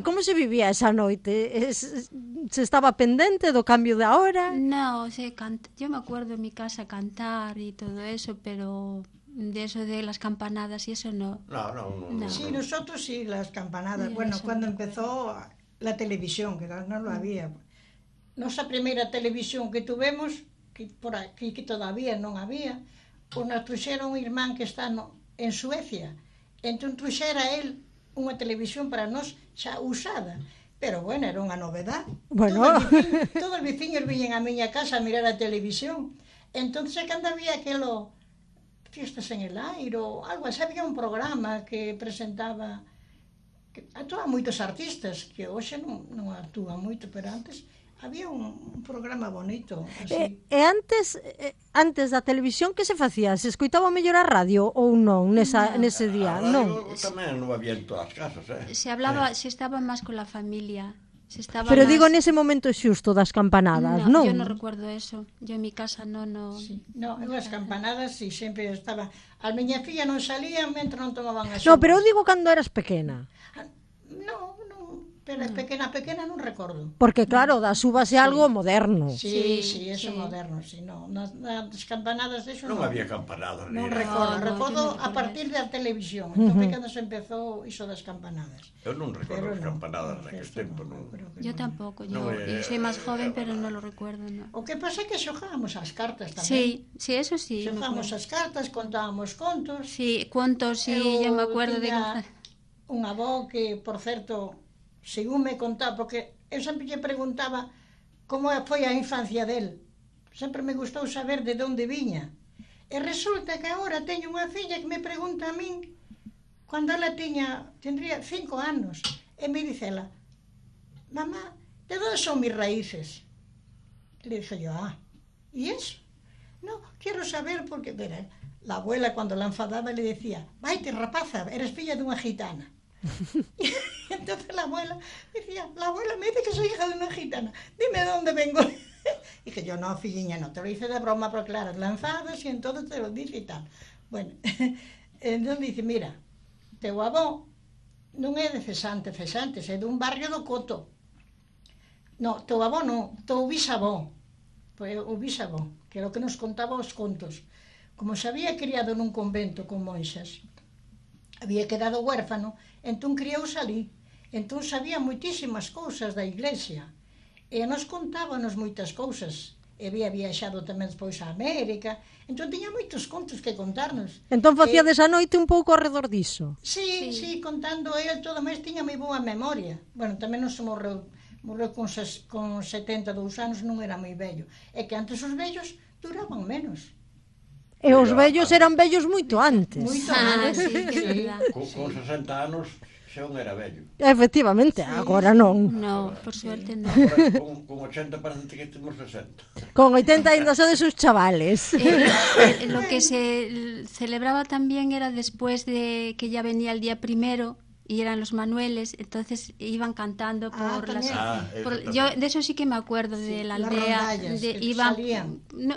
Como se vivía esa noite? Se estaba pendente do cambio de hora? No, yo me acuerdo en mi casa cantar y todo eso, pero de eso de las campanadas y eso no. No. Sí, nosotros sí, las campanadas. Cuando empezó la televisión, que no lo había. Nosa primeira televisión que tuvemos, que por aquí que todavía non había, nos truxeron un irmán que está en Suecia. Entón truxera él unha televisión para nós xa usada. Pero era unha novedad. Todos os veciños viñen a miña casa a mirar a televisión. Entón, cando había aquelo Fiestas en el Aire ou algo así, había un programa que presentaba, que actuaban moitos artistas, que hoxe non actúan moito, pero antes había un programa bonito. Así. E antes da televisión, que se facía? Se escoitaba mellor a radio ou non nese día? A radio tamén non había en todas as casas, Se estaba máis con la familia. Pero digo nese momento xusto das campanadas, non? Yo non recuerdo eso. Yo en mi casa non... Sí. No, as campanadas sí, sempre estaba... As miña filla non salían mentre non tomaban as uvas. No, pero eu digo cando eras pequena. No, pero pequena non recordo. Porque claro, das uvas é algo moderno. Sí, eso moderno, sí, no. Nas campanadas eso non había campanadas. Non recordo a partir da televisión. Entón, cando se empezou iso das campanadas. Eu non recordo as campanadas naquele tempo, non. Yo tampouco, yo soy máis joven, pero non lo recuerdo, no. O que pasa é que xogábamos as cartas tamén. Sí, eso sí. Xogábamos as cartas, contábamos contos. Sí, contos, sí, yo me acuerdo de... Unha avó que, por certo, según me contaba, porque eu sempre lle preguntaba como foi a infancia del. Sempre me gustou saber de onde viña. E resulta que agora teño unha filla que me pregunta a min, cando ela tendría 5 anos, e me dice ela, mamá, de onde son mis raíces? Le dije yo, ¿y eso? No, quiero saber porque, verá, la abuela cuando la enfadaba le decía, vaite rapaza, eres filla de unha gitana. Entonces la abuela decía, la abuela me dice que soy hija de una gitana, dime de dónde vengo. Dije yo, no, filliña, no, te lo hice de broma, pero claro, la enfadas y entonces te lo dice y tal. Bueno, entonces dice, mira, teu avó non é de Cesantes, é dun barrio do Coto. No, teu avó non, teu bisavó, o bisavó, que era o que nos contaba os contos. Como se había criado nun convento con monxas, había quedado huérfano, entón criouse ali. Entón sabía moitísimas cousas da iglesia. E nos contábanos moitas cousas. E había viaxado tamén despois a América. Entón tiña moitos contos que contarnos. Entón facíades a noite un pouco ao redor diso. Sí, contando el todo, máis tiña moi boa memoria. Bueno, tamén nos morreu con 72 anos, non era moi vello. É que antes os vellos duraban menos. E os vellos eran vellos moito antes. Moito antes, sí. Con 60 anos xa un era vello. Efectivamente, agora non. No, por suerte non. Con 80 parece que temos 60. Con 80 ainda sodes os chavales. Lo que se celebraba también era después de que ya venía el día primero y eran los manueles, entonces iban cantando por las... yo de eso sí que me acuerdo, de la aldea.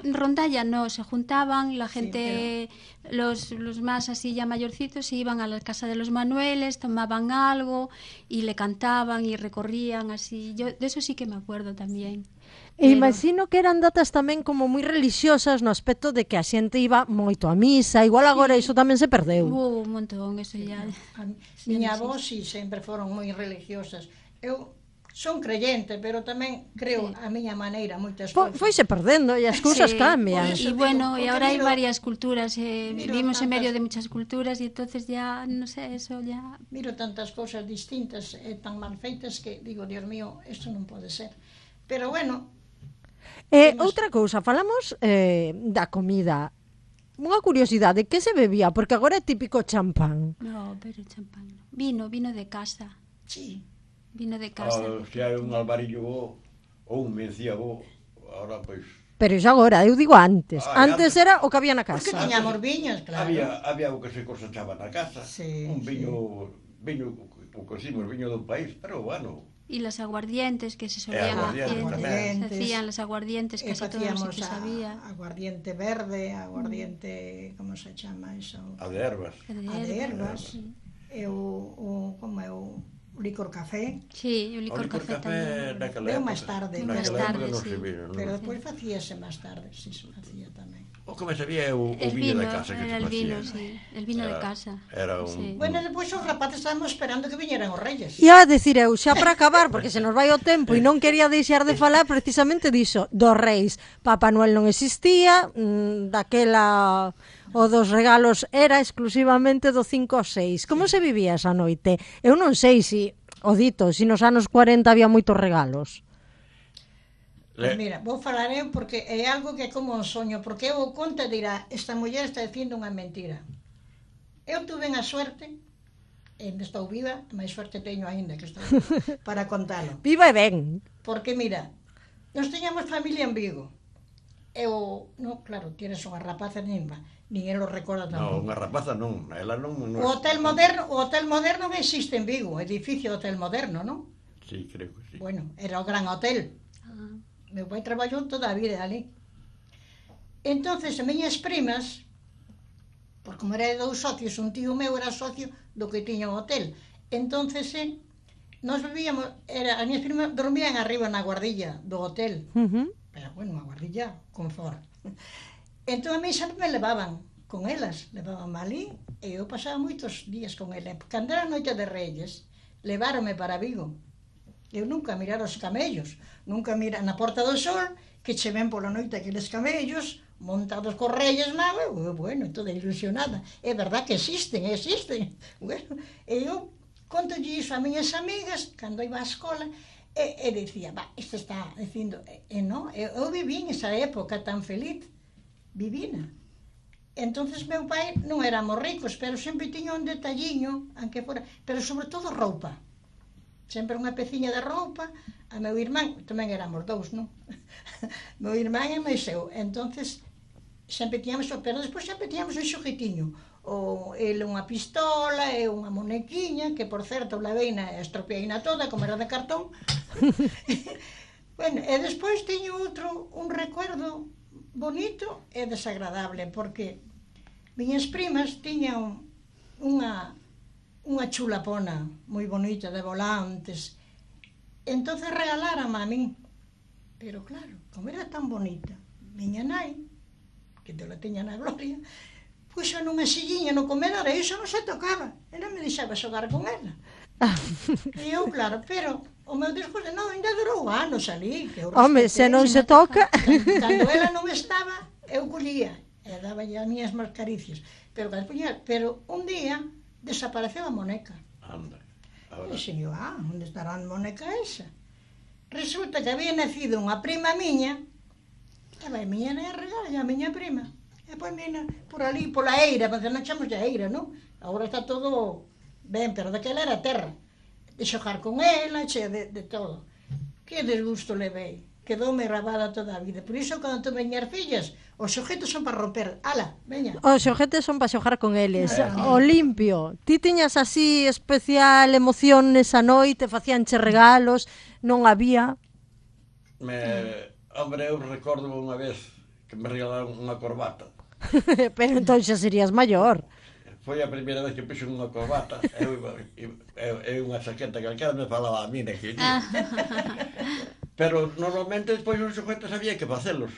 Rondalla no, se juntaban, la gente, los más así ya mayorcitos, se iban a la casa de los manueles, tomaban algo y le cantaban y recorrían así. Yo de eso sí que me acuerdo también. E imagino que eran datas tamén como moi religiosas no aspecto de que a xente iba moito a misa, igual agora iso tamén se perdeu. Un montón, eso ya. Miña avó, sí, sempre foron moi religiosas. Eu, son creyente, pero tamén creo a miña maneira moitas cousas. Foise perdendo e as cousas cambian. Y bueno, y ahora hay varias culturas, vivimos en medio de muchas culturas y entonces ya, no sé, eso ya... Miro tantas cousas distintas e tan mal feitas que digo, Dios mío, isto non pode ser. Pero bueno... Outra cousa, falamos da comida. Unha curiosidade, que se bebía? Porque agora é típico champán. No, pero champán no. Vino de casa. Sí. Vino de casa. Se hai un alvarillo bo, ou un mencía bo, ahora pois... Pero iso agora, eu digo antes. Antes era o que había na casa. Porque tiñamos viños, claro. Había o que se cosechaba na casa. Un viño, o que decimos, viño do país, pero bueno... Y las aguardientes que se solían hacer, se hacían las aguardientes, casi todos los que sabía. Aguardiente verde, aguardiente, como se chama eso? A de ervas. A de ervas. E o como é o licor café. Sí, o licor café tamén. Veo máis tarde. Sí. Pero despois facíase máis tarde, si se facía tamén. O que me sabía é o viño de casa que se facía. El vino, sí. El vino de casa. Era un... Bueno, despois os rapaces estábamos esperando que viñeran os reyes. E a decir eu, xa para acabar, porque se nos vai o tempo e non quería deixar de falar precisamente diso, dos reis. Papá Noel non existía, daquela... O dos regalos era exclusivamente do 5 ao 6. Como se vivía esa noite? Eu non sei se, o dito, se nos anos 40 había moitos regalos. Pues mira, vou falar eu porque é algo que é como un soño, porque eu o conto e dirá, esta muller está dicindo unha mentira. Eu tuve a suerte, e estou viva, máis suerte teño aínda que estou viva, para contalo. Viva e ben. Porque mira, nos teñamos familia en Vigo. Eu, no, claro, tienes unha rapaza nimba, nin ela o recorda tampouco. Non, unha rapaza non, ela non... O hotel moderno non existe en Vigo, o edificio Hotel Moderno, non? Sí, creo que sí. Bueno, era o gran hotel. Meu pai traballou toda a vida ali. Entonces, as miñas primas, por como era de 2 socios, un tío meu era socio do que tiña o hotel. Entonces, nós vivíamos, as miñas primas dormían arriba na guardilla do hotel. Pero, bueno, unha guardilla, confort. Entón, a mí sempre me levaban con elas, levaban ali, e eu pasaba moitos días con elas. Cando era a noite de Reyes, leváronme para Vigo. Eu nunca mirar os camellos, nunca mirar na Porta do Sol, que che ven pola noite aqueles camellos, montados cos Reyes Magos, bueno, toda ilusionada. É verdad que existen. Bueno, e eu contolle iso a miñas amigas, cando iba á escola, e dicía, isto está dicindo, non, eu vivín esa época tan feliz, vivina. Entonces meu pai non éramos ricos, pero sempre tiña un detalliño, aunque fora, pero sobre todo roupa. Sempre unha peciña de roupa, a meu irmán, tamén éramos 2, non? Meu irmán e máis eu, entonces sempre tiñamos, pero despois sempre tiñamos un xoguetiño, ele unha pistola e unha monequiña, que por certo la veina estropeaina toda, como era de cartón. Bueno, e despois teño un recuerdo bonito e desagradable, porque miñas primas tiñan unha chulapona moi bonita de volantes. Entonces regalaran a min. Pero claro, como era tan bonita, miña nai, que te la teña na gloria, puxo nunha silliña no comedor e iso non se tocaba. Ela me deixaba xogar con ela. E eu, claro, pero o meu discurso, non, ainda durou anos ali. Home, se non se toca... Cando ela non estaba, eu collía e daba as miñas mascaricias. Pero un día desapareceu a moneca. Anda. E dixen, onde estará a moneca esa? Resulta que había nacido unha prima miña, e vai miña nai a regalar a miña prima. E pois mira, por ali, pola eira, porque non chamamos de eira, non? Agora está todo ben, pero daquela era terra. De xogar con ela, che, de todo. Que desgusto levei. Quedoume grabada toda a vida. Por iso, cando tu veñas fillas, os xoguetes son para romper. Ala, veña. Os xoguetes son para xogar con eles. O limpio. Ti tiñas así especial emoción nesa noite, facíanche regalos, non había... Hombre, eu recordo unha vez que me regalaron unha corbata. Pero entón xa serías maior. Foi a primeira vez que puxo unha corbata e unha saqueta calquera me falaba a mí naquele. Pero normalmente despois os xoguetes había que facelos.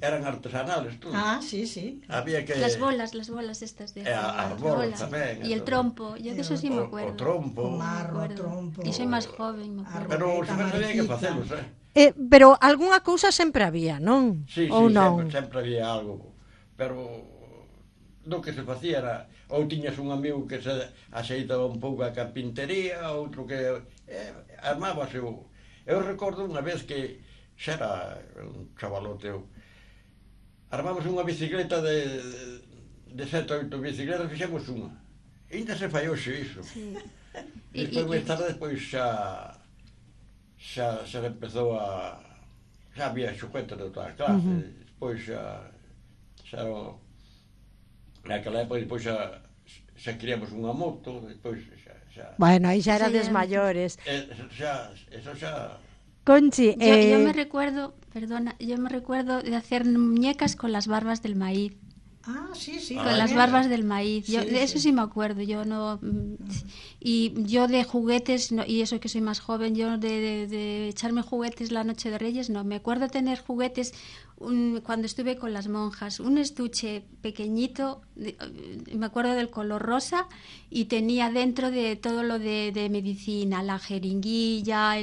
eran artesanales, tú. Sí, sí. Había que... Las bolas estas de... As bolas tamén. Y el trompo, yo de eso sí me acuerdo. O trompo. O marro, o trompo. Y soy máis joven, me acuerdo. Pero se me sabía que facelos, Pero algunha cousa sempre había, non? Sí, ou non? sempre había algo. Pero do que se facía era... Ou tiñas un amigo que se axeitaba un pouco a carpintería, outro que... armábase o... Eu recordo unha vez que xa era un chavalote, armamos unha bicicleta de 7 ou 8 bicicletas, fixemos unha. E ainda se fai hoxe iso. Sí. Despois, máis tarde, despois xa empezou a... Xa había xoguetes de toda a clase. Despois xa naquela época, despois xa queríamos unha moto, despois xa... Bueno, aí xa erades maiores. Eso xa... Conchi, yo me recuerdo, perdona, de hacer muñecas con las barbas del maíz. Sí. Con las barbas del maíz. Yo, de eso sí me acuerdo. Yo no. Y yo de juguetes, no, y eso que soy más joven, yo de echarme juguetes la noche de Reyes, no. Me acuerdo tener juguetes cuando estuve con las monjas. Un estuche pequeñito, me acuerdo del color rosa, y tenía dentro de todo lo de medicina, la jeringuilla,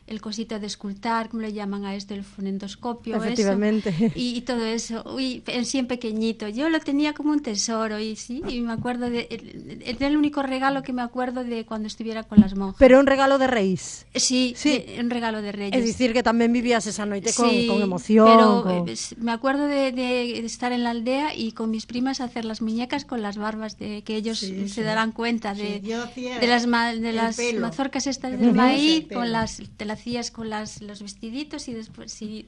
el cosito de escultar, ¿cómo le llaman a esto? El fonendoscopio, efectivamente. Eso, y todo eso, sí, en pequeñito. Yo lo tenía como un tesoro, y sí, y me acuerdo es el único regalo que me acuerdo de cuando estuviera con las monjas. Pero un regalo de Reis. Sí, un regalo de Reyes. Es decir, que también vivías esa noche con emoción. Pero me acuerdo de estar en la aldea y con mis primas hacer las muñecas con las barbas, que ellos se darán cuenta de las mazorcas estas del maíz, te las hacías con los vestiditos y después sí,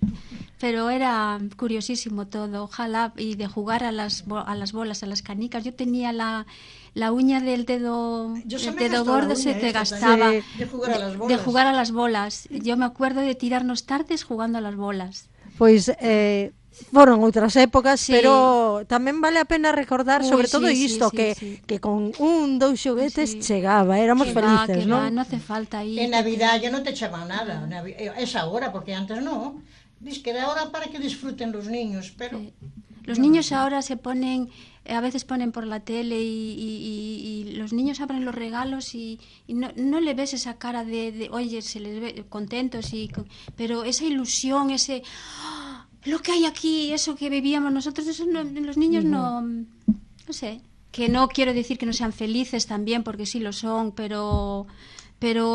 pero era curiosísimo todo. Ojalá, y de jugar a las bolas, a las canicas. Yo tenía la uña del dedo gordo, se te gastaba de jugar a las bolas. Yo me acuerdo de tirarnos tardes jugando a las bolas. Pois foron outras épocas, pero tamén vale a pena recordar sobre todo isto, que con 2 xoguetes chegaba, éramos felices, non? No hace falta ir. En Navidad ya no te echaban nada, es ahora, porque antes no. Dice que era ahora para que disfruten los niños, pero... Los niños ahora se ponen, a veces ponen por la tele y los niños abren los regalos y no le ves esa cara de oye, se les ve contentos, pero esa ilusión, ese... lo que hay aquí, eso que vivíamos nosotros, eso los niños no sé, que no quiero decir que no sean felices también, porque sí lo son, pero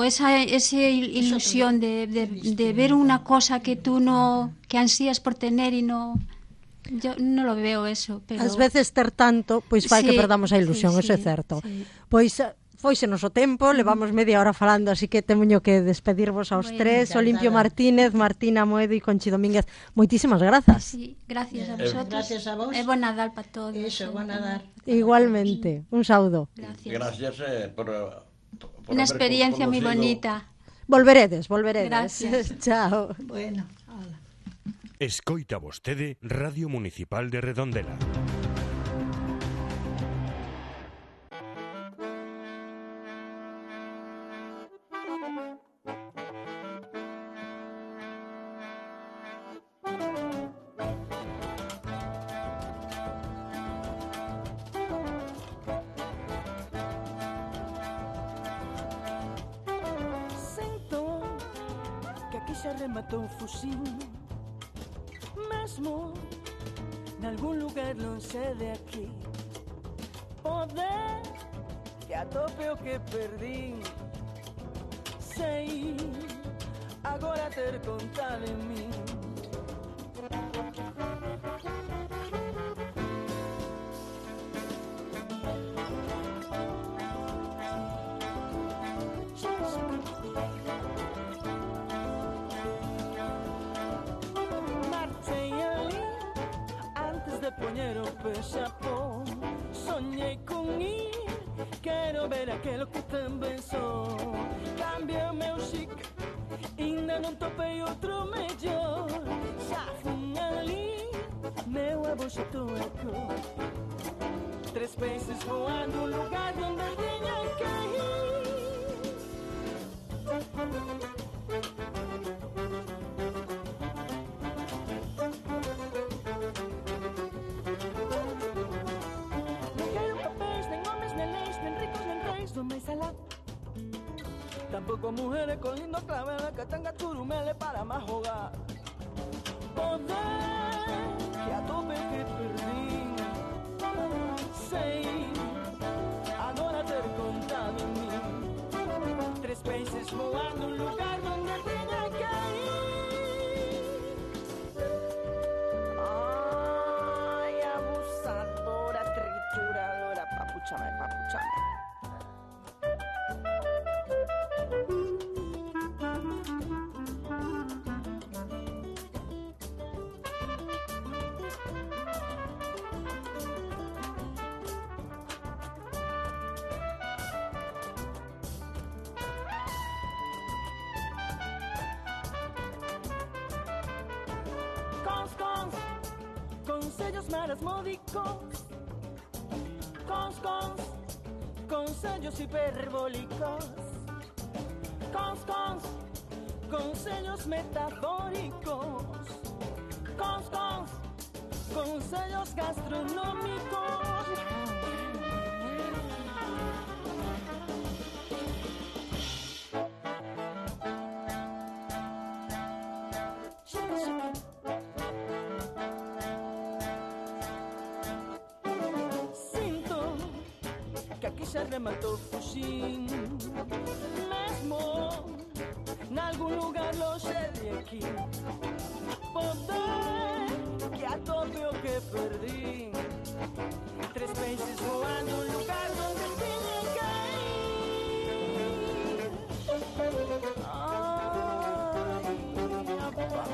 esa ilusión de ver una cosa que tú que ansías por tener y no... Yo no lo veo eso, pero... Ás veces ter tanto, pois fai que perdamos a ilusión, eso é certo. Pois foise noso tempo, levamos media hora falando, así que temoño que despedirvos aos tres, Olimpio Martínez, Martina Moedo e Conchi Domínguez. Moitísimas grazas. Sí, gracias a vosotros. Gracias a vos. Bon Nadal para todos. Eso, bon Nadal. Igualmente, un saúdo. Gracias por una experiencia moi bonita. Volveredes. Gracias. Chao. Bueno. Escoita vostede Radio Municipal de Redondela. Sinto que aquí se rematou un fusil, mesmo nalgún lugar lonxe de aquí. Poder que atope o que perdín, sei agora ter conta de mí. Poñer o pexapón, soñei con ir, quero ver aquelo que tamén son. Cambia o meu chic, ainda non topei outro mellor. Xa fun ali, meu avó xa toecou. 3 peces voando, un lugar onde teña que ir. ojalá. Tampoco mujeres con lindo claveles que tengan churumeles para más jugar. Poder que a tope que perdí. Sei, agora ter contado en mí. 3 países voando un lugar donde tenía que ir. Ay, abusadora, trituradora, papuchame, papuchame. Consellos marasmódicos, consellos hiperbólicos, consellos metafóricos, consellos gastronómicos. Se rematou fuxín mesmo nalgún lugar lonxe de aquí. Poder que a tope o que perdí. 3 países voando un lugar donde tiña que ir. Ay, papá.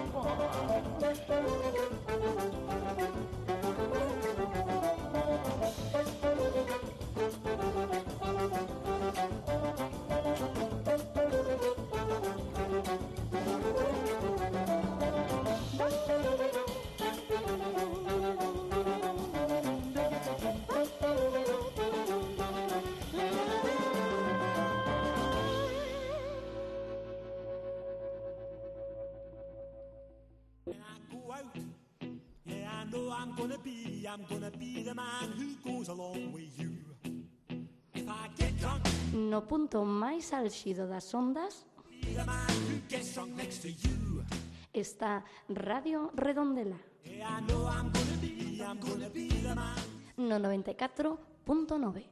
No punto máis álxido das ondas está Radio Redondela no 94.9.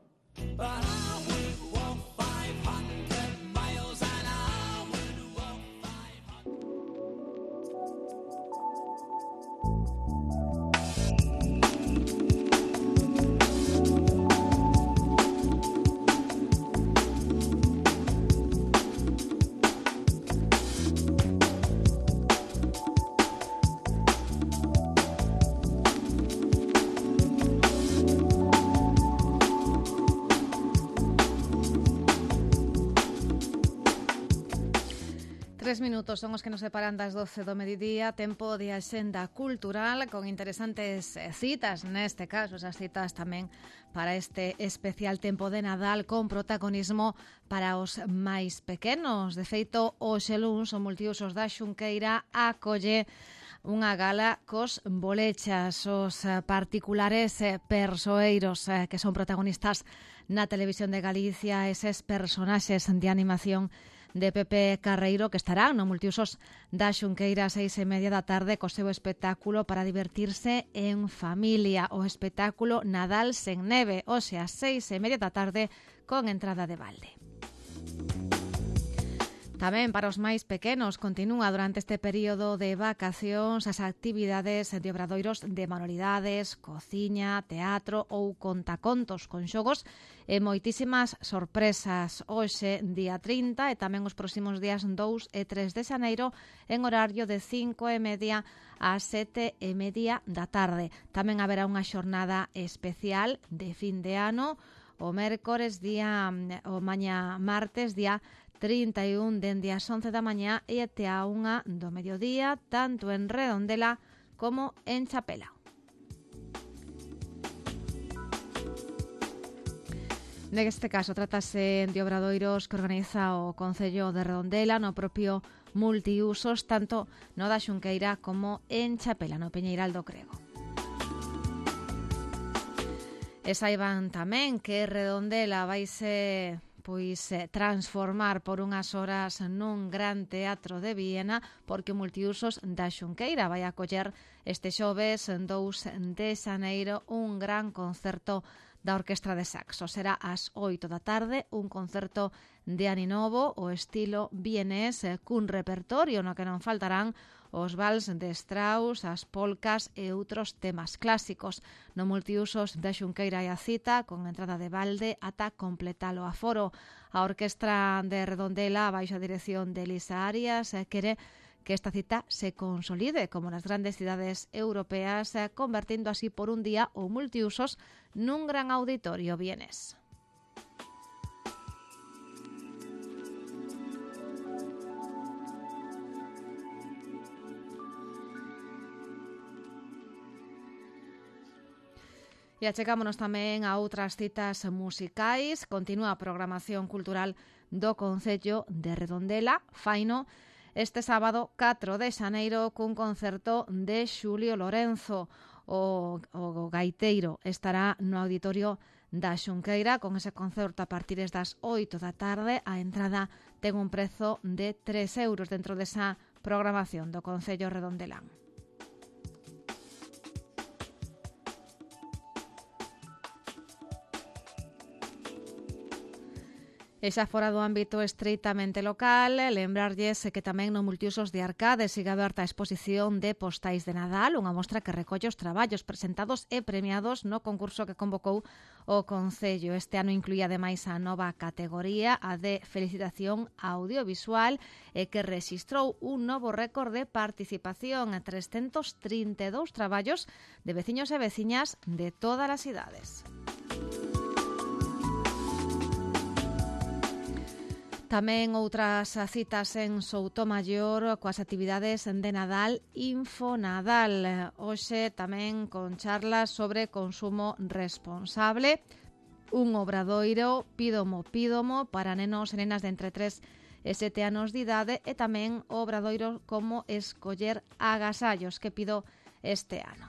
Minutos son os que nos separan das 12 do mediodía, tempo de axenda cultural con interesantes citas, neste caso esas citas tamén para este especial tempo de Nadal con protagonismo para os máis pequenos. De feito, hoxe luns o multiusos da Xunqueira acolle unha gala cos bolechas, os particulares persoeiros que son protagonistas na televisión de Galicia, eses personaxes de animación de Pepe Carreiro que estarán no multiusos da Xunqueira a 6:30 da tarde co seu espectáculo para divertirse en familia, o espectáculo Nadal sen neve, hoxe a 6:30 da tarde con entrada de balde. Tamén para os máis pequenos continúa durante este período de vacacións as actividades de obradoiros de manualidades, cociña, teatro ou contacontos con xogos e moitísimas sorpresas. Hoxe, día 30 e tamén os próximos días 2 e 3 de xaneiro en horario de 5:30 a 7:30 da tarde. Tamén haberá unha xornada especial de fin de ano o mañá martes, día 31 dende as 11 da mañá e até a 1 do mediodía, tanto en Redondela como en Chapela. Neste caso, trátase de obradoiros que organiza o Concello de Redondela no propio multiusos, tanto no da Xunqueira como en Chapela, no Peñeiral do Crego. E saiban tamén que Redondela vaise transformar por unhas horas nun gran teatro de Viena, porque o Multiusos da Xunqueira vai acoller este xoves 2 de xaneiro un gran concerto da Orquestra de Saxo. Será ás 8 da tarde, un concerto de aninovo, o estilo vienés, cun repertorio no que non faltarán os vals de Strauss, as polcas e outros temas clásicos. No Multiusos da Xunqueira e a cita, con entrada de balde ata completar o aforo. A Orquestra de Redondela, baixo a dirección de Elisa Arias, quere que esta cita se consolide como nas grandes cidades europeas, convertindo así por un día o Multiusos nun gran auditorio vienés. E achegámonos tamén a outras citas musicais. Continúa a programación cultural do Concello de Redondela, faino este sábado 4 de xaneiro cun concerto de Xulio Lorenzo. O gaiteiro estará no auditorio da Xunqueira con ese concerto a partir das 8 da tarde. A entrada ten un prezo de 3 euros dentro desa programación do Concello Redondelán. E xa fora do ámbito estreitamente local, lembrarlles que tamén no Multiusos de Arcade sigue aberta a exposición de postais de Nadal, unha mostra que recolle os traballos presentados e premiados no concurso que convocou o Concello. Este ano incluía ademais a nova categoría, a de felicitación audiovisual, e que rexistrou un novo récord de participación en 332 traballos de veciños e veciñas de todas as idades. Tamén outras citas en Soutomaior coas actividades de Nadal Infonadal. Hoxe tamén con charlas sobre consumo responsable, un obradoiro Pídomo para nenos e nenas de entre 3 e 7 anos de idade, e tamén o obradoiro como escoller agasallos que pido este ano.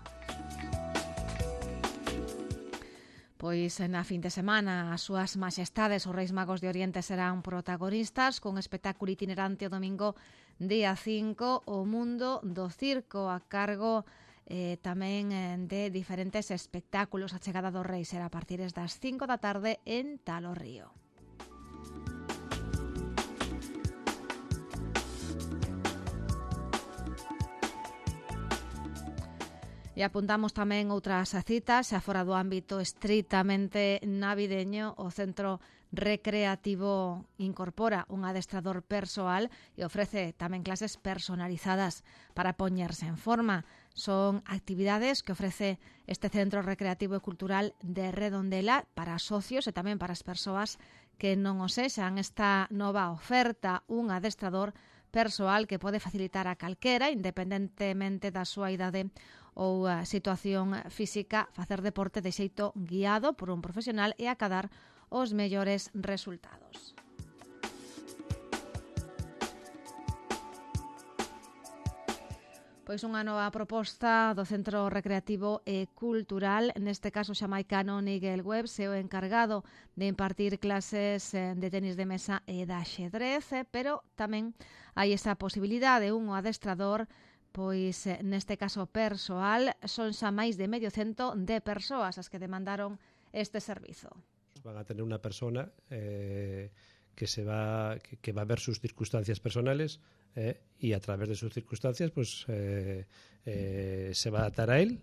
Pois na fin de semana as súas maxestades, os Reis Magos de Oriente, serán protagonistas con espectáculo itinerante o domingo día 5, o Mundo do Circo, a cargo tamén de diferentes espectáculos. A chegada dos Reis será a partir das 5 da tarde en Talo Río. E apuntamos tamén outras citas, xa fora do ámbito estritamente navideño. O Centro Recreativo incorpora un adestrador persoal e ofrece tamén clases personalizadas para poñerse en forma. Son actividades que ofrece este Centro Recreativo e Cultural de Redondela para socios e tamén para as persoas que non o sexan. Esta nova oferta, un adestrador persoal que pode facilitar a calquera, independentemente da súa idade ou a situación física, facer deporte de xeito guiado por un profesional e acadar os mellores resultados. Pois unha nova proposta do Centro Recreativo e Cultural, neste caso xamaicano Nigel Webb, é o encargado de impartir clases de tenis de mesa e de axedrez, pero tamén hai esa posibilidade, un adestrador, pois neste caso persoal. Son xa máis de medio cento de persoas as que demandaron este servizo. Van a tener una persona que va a ver sus circunstancias personales y a través de sus circunstancias pues se va a adaptar a él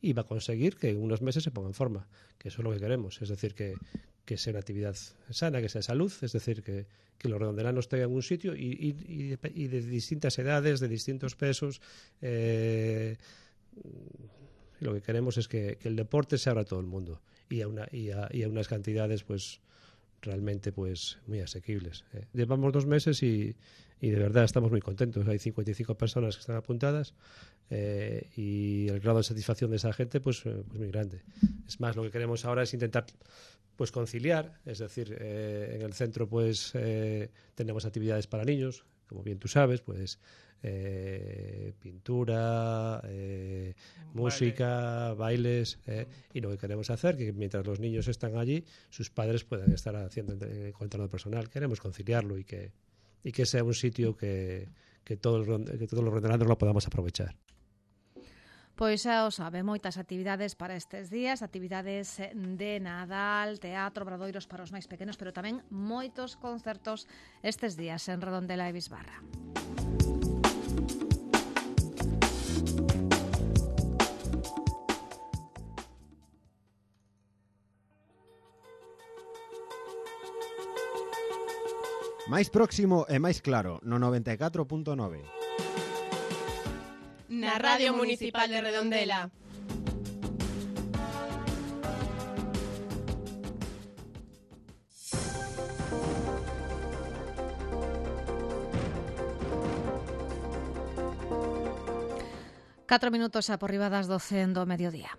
y va a conseguir que en unos meses se ponga en forma, que eso es lo que queremos, es decir, que sea una actividad sana, que sea salud, es decir, que los redondelanos tengan un sitio y de distintas edades, de distintos pesos. Lo que queremos es que el deporte se abra a todo el mundo y a unas cantidades pues realmente pues muy asequibles. Llevamos 2 meses y de verdad estamos muy contentos. Hay 55 personas que están apuntadas y el grado de satisfacción de esa gente pues muy grande. Es más, lo que queremos ahora es intentar pues conciliar, es decir, en el centro pues tenemos actividades para niños, como bien tú sabes, pues pintura, música, bailes, y lo que queremos hacer, que mientras los niños están allí, sus padres puedan estar haciendo el control personal. Queremos conciliarlo y que sea un sitio que todos los rondelanos lo podamos aprovechar. Pois xa o sabe, moitas actividades para estes días, actividades de Nadal, teatro, obradoiros para os máis pequenos, pero tamén moitos concertos estes días en Redondela e Bisbarra. Máis próximo e máis claro, no 94.9. Na Radio Municipal de Redondela. Catro minutos xa por riba das 12 do mediodía.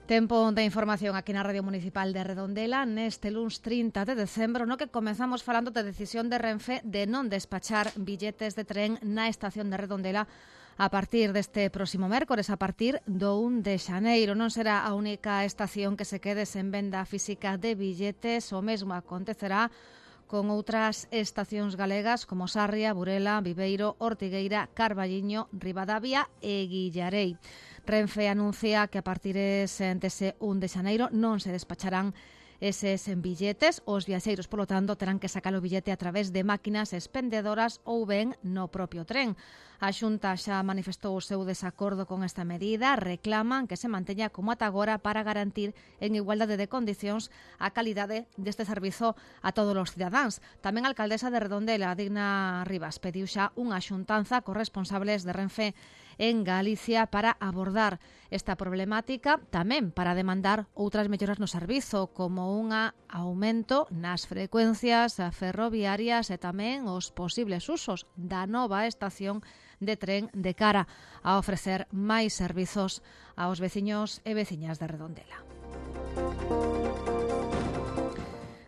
Tempo de información aquí na Radio Municipal de Redondela neste luns 30 de decembro, no que comezamos falando de decisión de Renfe de non despachar billetes de tren na estación de Redondela a partir deste próximo mércores, a partir do 1 de xaneiro. Non será a única estación que se quede sen venda física de billetes, o mesmo acontecerá con outras estacións galegas como Sarria, Burela, Viveiro, Ortigueira, Carballiño, Ribadavia e Guillarei. Renfe anuncia que a partir dese 1 de xaneiro non se despacharán eses billetes. Os viaxeiros, polo tanto, terán que sacar o billete a través de máquinas expendedoras ou ben no propio tren. A Xunta xa manifestou o seu desacordo con esta medida, reclaman que se manteña como ata agora para garantir en igualdade de condicións a calidade deste servizo a todos os cidadáns. Tamén a alcaldesa de Redondela, Digna Rivas, pediu xa unha xuntanza cos responsables de Renfe en Galicia para abordar esta problemática, tamén para demandar outras melloras no servizo, como un aumento nas frecuencias ferroviarias e tamén os posibles usos da nova estación de tren de cara a ofrecer máis servizos aos veciños e veciñas de Redondela.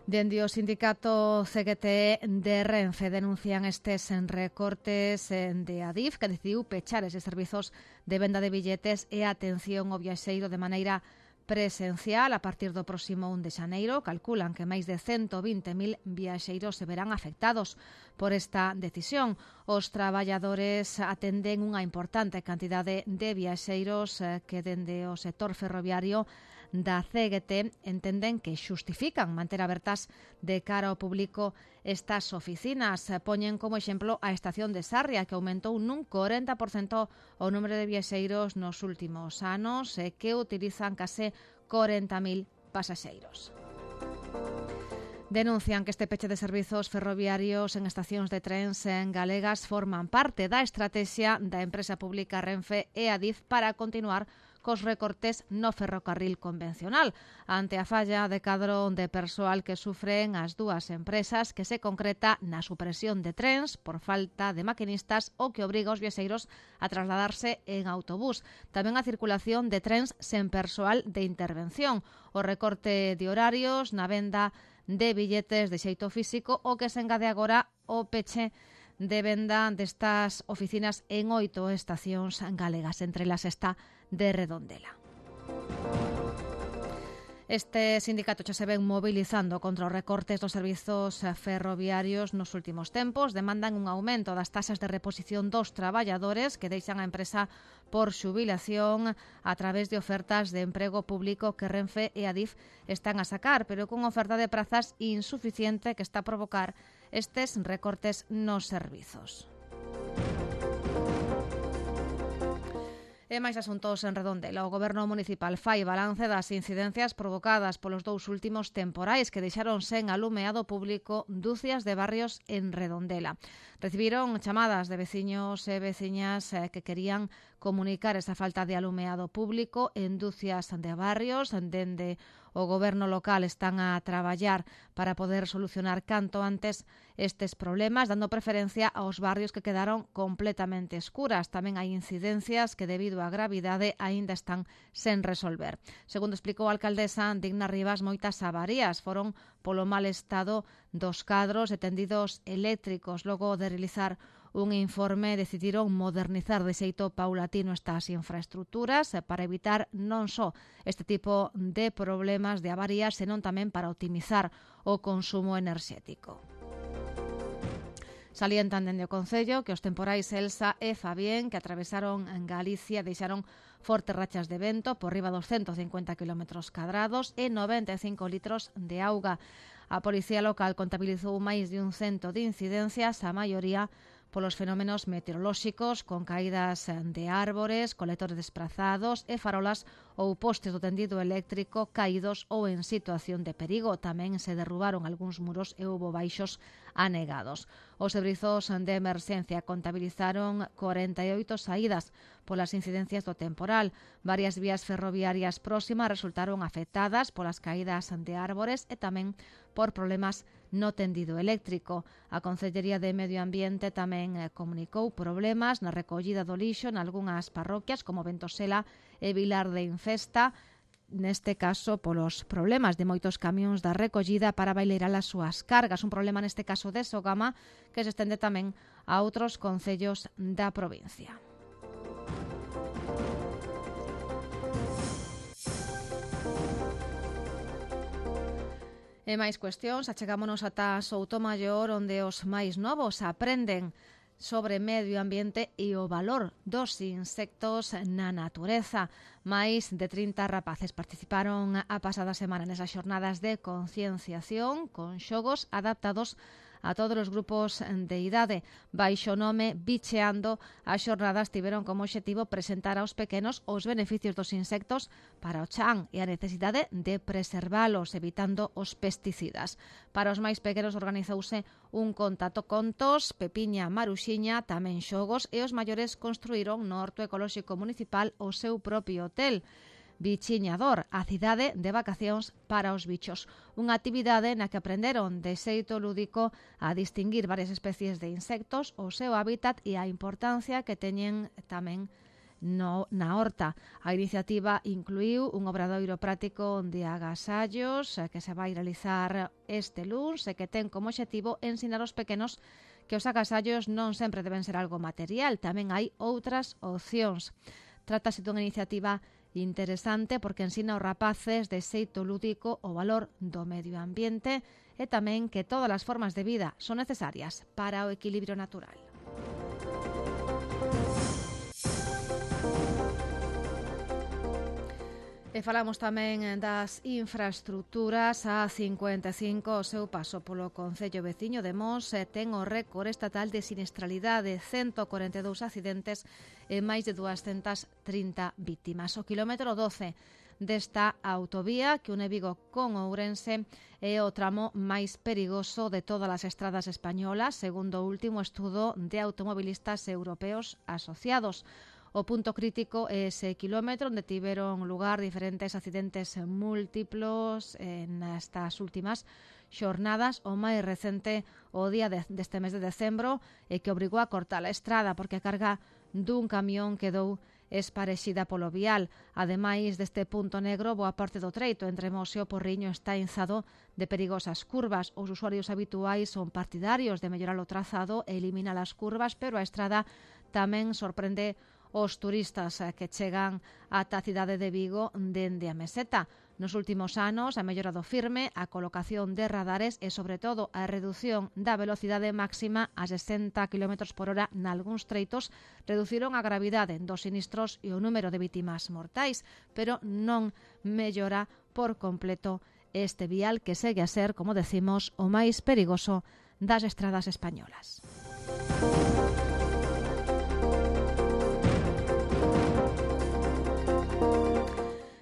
Dende o sindicato CGT de Renfe denuncian estes recortes de Adif, que decidiu pechar eses servizos de venda de billetes e atención ao viaxeiro de maneira presencial a partir do próximo 1 de xaneiro. Calculan que máis de 120.000 viaxeiros se verán afectados por esta decisión. Os traballadores atenden unha importante cantidade de viaxeiros que dende o sector ferroviario da CGT entenden que xustifican manter abertas de cara ao público estas oficinas. Poñen como exemplo a estación de Sarria, que aumentou nun 40% o número de viaxeiros nos últimos anos e que utilizan case 40.000 pasaxeiros. Denuncian que este peche de servizos ferroviarios en estacións de trens en galegas forman parte da estrategia da empresa pública Renfe e Adif para continuar cos recortes no ferrocarril convencional, ante a falla de cadro de persoal que sufren as dúas empresas, que se concreta na supresión de trens por falta de maquinistas ou que obriga os viaxeiros a trasladarse en autobús. Tamén a circulación de trens sen persoal de intervención, o recorte de horarios na venda de billetes de xeito físico, o que se engade agora o peche de venda destas oficinas en 8 estacións galegas, entre elas esta de Redondela. Este sindicato xa se ven mobilizando contra os recortes dos servizos ferroviarios nos últimos tempos. Demandan un aumento das taxas de reposición dos traballadores que deixan a empresa por xubilación a través de ofertas de emprego público que Renfe e Adif están a sacar, pero con oferta de prazas insuficiente que está a provocar estes recortes nos servizos. E máis asuntos en Redondela. O Goberno municipal fai balance das incidencias provocadas polos dous últimos temporais que deixaron sen alumeado público dúcias de barrios en Redondela. Recibiron chamadas de veciños e veciñas que querían comunicar esa falta de alumeado público en dúcias de barrios. Dende o goberno local están a traballar para poder solucionar canto antes estes problemas, dando preferencia aos barrios que quedaron completamente escuras. Tamén hai incidencias que debido á gravidade aínda están sen resolver. Segundo explicou a alcaldesa Digna Rivas, moitas avarías foron polo mal estado dos cadros e tendidos eléctricos. Logo de realizar un informe, decidiron modernizar de xeito paulatino estas infraestructuras para evitar non só este tipo de problemas de avarías, senón tamén para optimizar o consumo enerxético. Salientan dende o Concello que os temporais Elsa e Fabián que atravesaron en Galicia deixaron fortes rachas de vento por riba dos 150 km² e 95 litros de auga. A Policía Local contabilizou máis de 100 de incidencias, a maioría polos fenómenos meteorolóxicos, con caídas de árbores, colectores desprazados e farolas ou postes do tendido eléctrico caídos ou en situación de perigo. Tamén se derrubaron algúns muros e houbo baixos anegados. Os servizos de emerxencia contabilizaron 48 saídas polas incidencias do temporal. Varias vías ferroviarias próximas resultaron afectadas polas caídas de árbores e tamén por problemas no tendido eléctrico. A Concellería de Medio Ambiente tamén comunicou problemas na recollida do lixo nalgunhas parroquias como Ventosela e Vilar de Infesta, neste caso polos problemas de moitos camións da recollida para baileirar as súas cargas. Un problema neste caso de Sogama que se estende tamén a outros concellos da provincia. E máis cuestións, achegámonos ata Soutomaior, onde os máis novos aprenden sobre medio ambiente e o valor dos insectos na natureza. Máis de 30 rapaces participaron a pasada semana nesas xornadas de concienciación con xogos adaptados a todos os grupos de idade. Baixo o nome Bicheando, as xornadas tiveron como obxectivo presentar aos pequenos os beneficios dos insectos para o chan e a necesidade de preservalos, evitando os pesticidas. Para os máis pequenos organizouse un contato contos, pepiña, maruxiña, tamén xogos, e os maiores construíron no Horto Ecolóxico Municipal o seu propio hotel. Bichiñador, a cidade de vacacións para os bichos. Unha actividade na que aprenderon de xeito lúdico a distinguir varias especies de insectos, o seu hábitat e a importancia que teñen tamén na horta. A iniciativa incluiu un obradoiro práctico de agasallos que se vai realizar este luns e que ten como obxectivo ensinar aos pequenos que os agasallos non sempre deben ser algo material, tamén hai outras opcións. Trátase dunha iniciativa interesante porque ensina aos rapaces de xeito lúdico o valor do medio ambiente e tamén que todas as formas de vida son necesarias para o equilibrio natural. E falamos tamén das infraestructuras. A 55, o seu paso polo concello veciño de Mos ten o récord estatal de siniestralidade, 142 accidentes e máis de 230 vítimas. O quilómetro 12 desta autovía que une Vigo con Ourense é o tramo máis perigoso de todas as estradas españolas, segundo o último estudo de automobilistas europeos asociados. O punto crítico é ese quilómetro onde tiveron lugar diferentes accidentes múltiplos nestas últimas xornadas. O máis recente o día deste mes de decembro e que obrigou a cortar a estrada porque a carga dun camión quedou esparexida polo vial. Ademais deste punto negro, boa parte do treito entre Mos e o Porriño está enzado de perigosas curvas. Os usuarios habituais son partidarios de mellorar o trazado e eliminar as curvas, pero a estrada tamén sorprende os turistas que chegan ata a cidade de Vigo dende a meseta. Nos últimos anos, a mellora do firme, a colocación de radares e, sobre todo, a redución da velocidade máxima a 60 km/h nalgúns treitos reduciron a gravidade dos sinistros e o número de vítimas mortais, pero non mellora por completo este vial que segue a ser, como decimos, o máis perigoso das estradas españolas.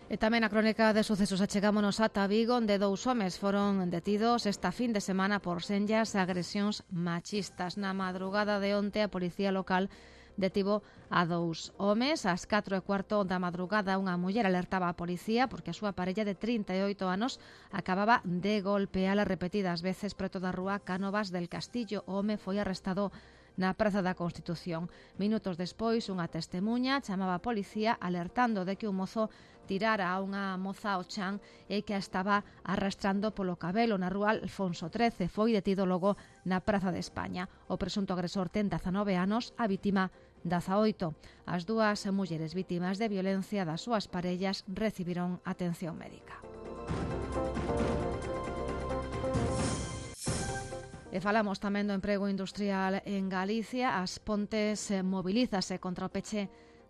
E E tamén a crónica de sucesos achegámonos ata Vigo, onde 2 homes foron detidos esta fin de semana por senllas agresións machistas. Na madrugada de onte, a policía local detivo a 2 homes. Ás 4:15 da madrugada, unha muller alertaba a policía porque a súa parella de 38 anos acababa de golpeala repetidas veces preto da rúa Cánovas del Castillo. O home foi arrestado na Praza da Constitución. Minutos despois, unha testemuña chamaba a policía alertando de que un mozo tirara a unha moza ao chan e que a estaba arrastrando polo cabelo na rúa Alfonso XIII. Foi detido logo na Praza de España. O presunto agresor ten 19 anos, a vítima 18. As 2 mulleres vítimas de violencia das súas parellas recibiron atención médica. E falamos tamén do emprego industrial en Galicia. As Pontes mobilízase contra o peche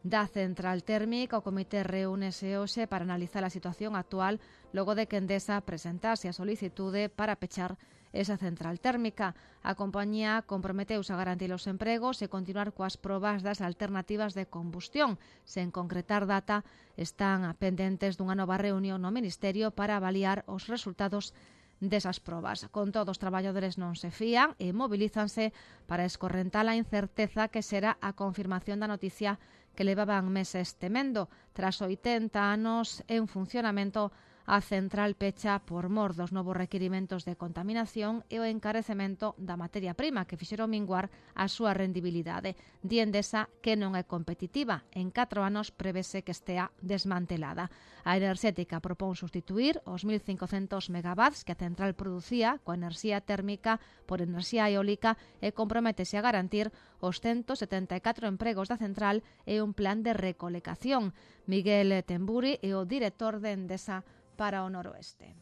da central térmica. O comité reúnese hoxe para analizar a situación actual logo de que Endesa presentase a solicitude para pechar esa central térmica. A compañía comprometeuse a garantir os empregos e continuar coas probas das alternativas de combustión. Sen concretar data, están pendentes dunha nova reunión no Ministerio para avaliar os resultados desas probas. Con todo, os traballadores non se fían e mobilízanse para escorrentar a incerteza que será a confirmación da noticia que levaban meses temendo. Tras 80 anos en funcionamento, a central pecha por mor dos novos requirimentos de contaminación e o encarecemento da materia prima que fixeron minguar a súa rendibilidade. Di Endesa que non é competitiva. En 4 anos prevese que estea desmantelada. A enerxética propón sustituir os 1.500 megawatts que a central producía coa enerxía térmica por enerxía eólica e comprométese a garantir os 174 empregos da central e un plan de recolección. Miguel Temburi é o director de Endesa para o noroeste.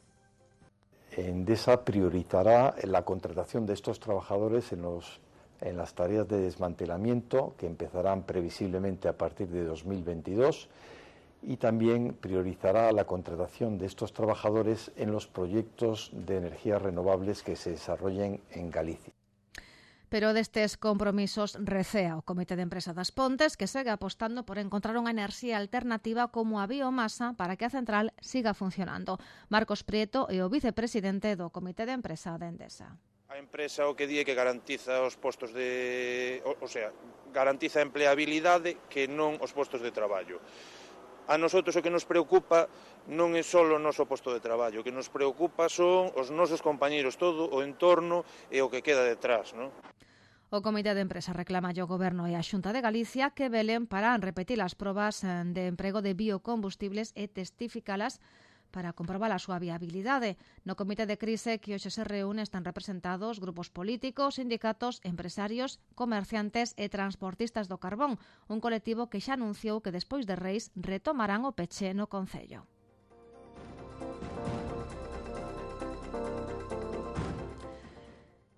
Endesa priorizará la contratación de estos trabajadores en las tareas de desmantelamiento que empezarán previsiblemente a partir de 2022 y también priorizará la contratación de estos trabajadores en los proyectos de energías renovables que se desarrollen en Galicia. Pero destes compromisos recea o Comité de Empresa das Pontes, que segue apostando por encontrar unha enerxía alternativa como a biomasa para que a central siga funcionando. Marcos Prieto é o vicepresidente do Comité de Empresa de Endesa. A empresa o que di é que garantiza os postos de... garantiza a empleabilidade que non os postos de traballo. A nosotros o que nos preocupa non é só o noso posto de traballo, o que nos preocupa son os nosos compañeiros, todo o entorno e o que queda detrás, non? O Comité de Empresa reclama ao Goberno e á Xunta de Galicia que velen para repetir as probas de emprego de biocombustibles e testificalas para comprobar a súa viabilidade. No Comité de Crise que hoxe se reúne están representados grupos políticos, sindicatos, empresarios, comerciantes e transportistas do carbón, un colectivo que xa anunciou que despois de Reis retomarán o peche no Concello.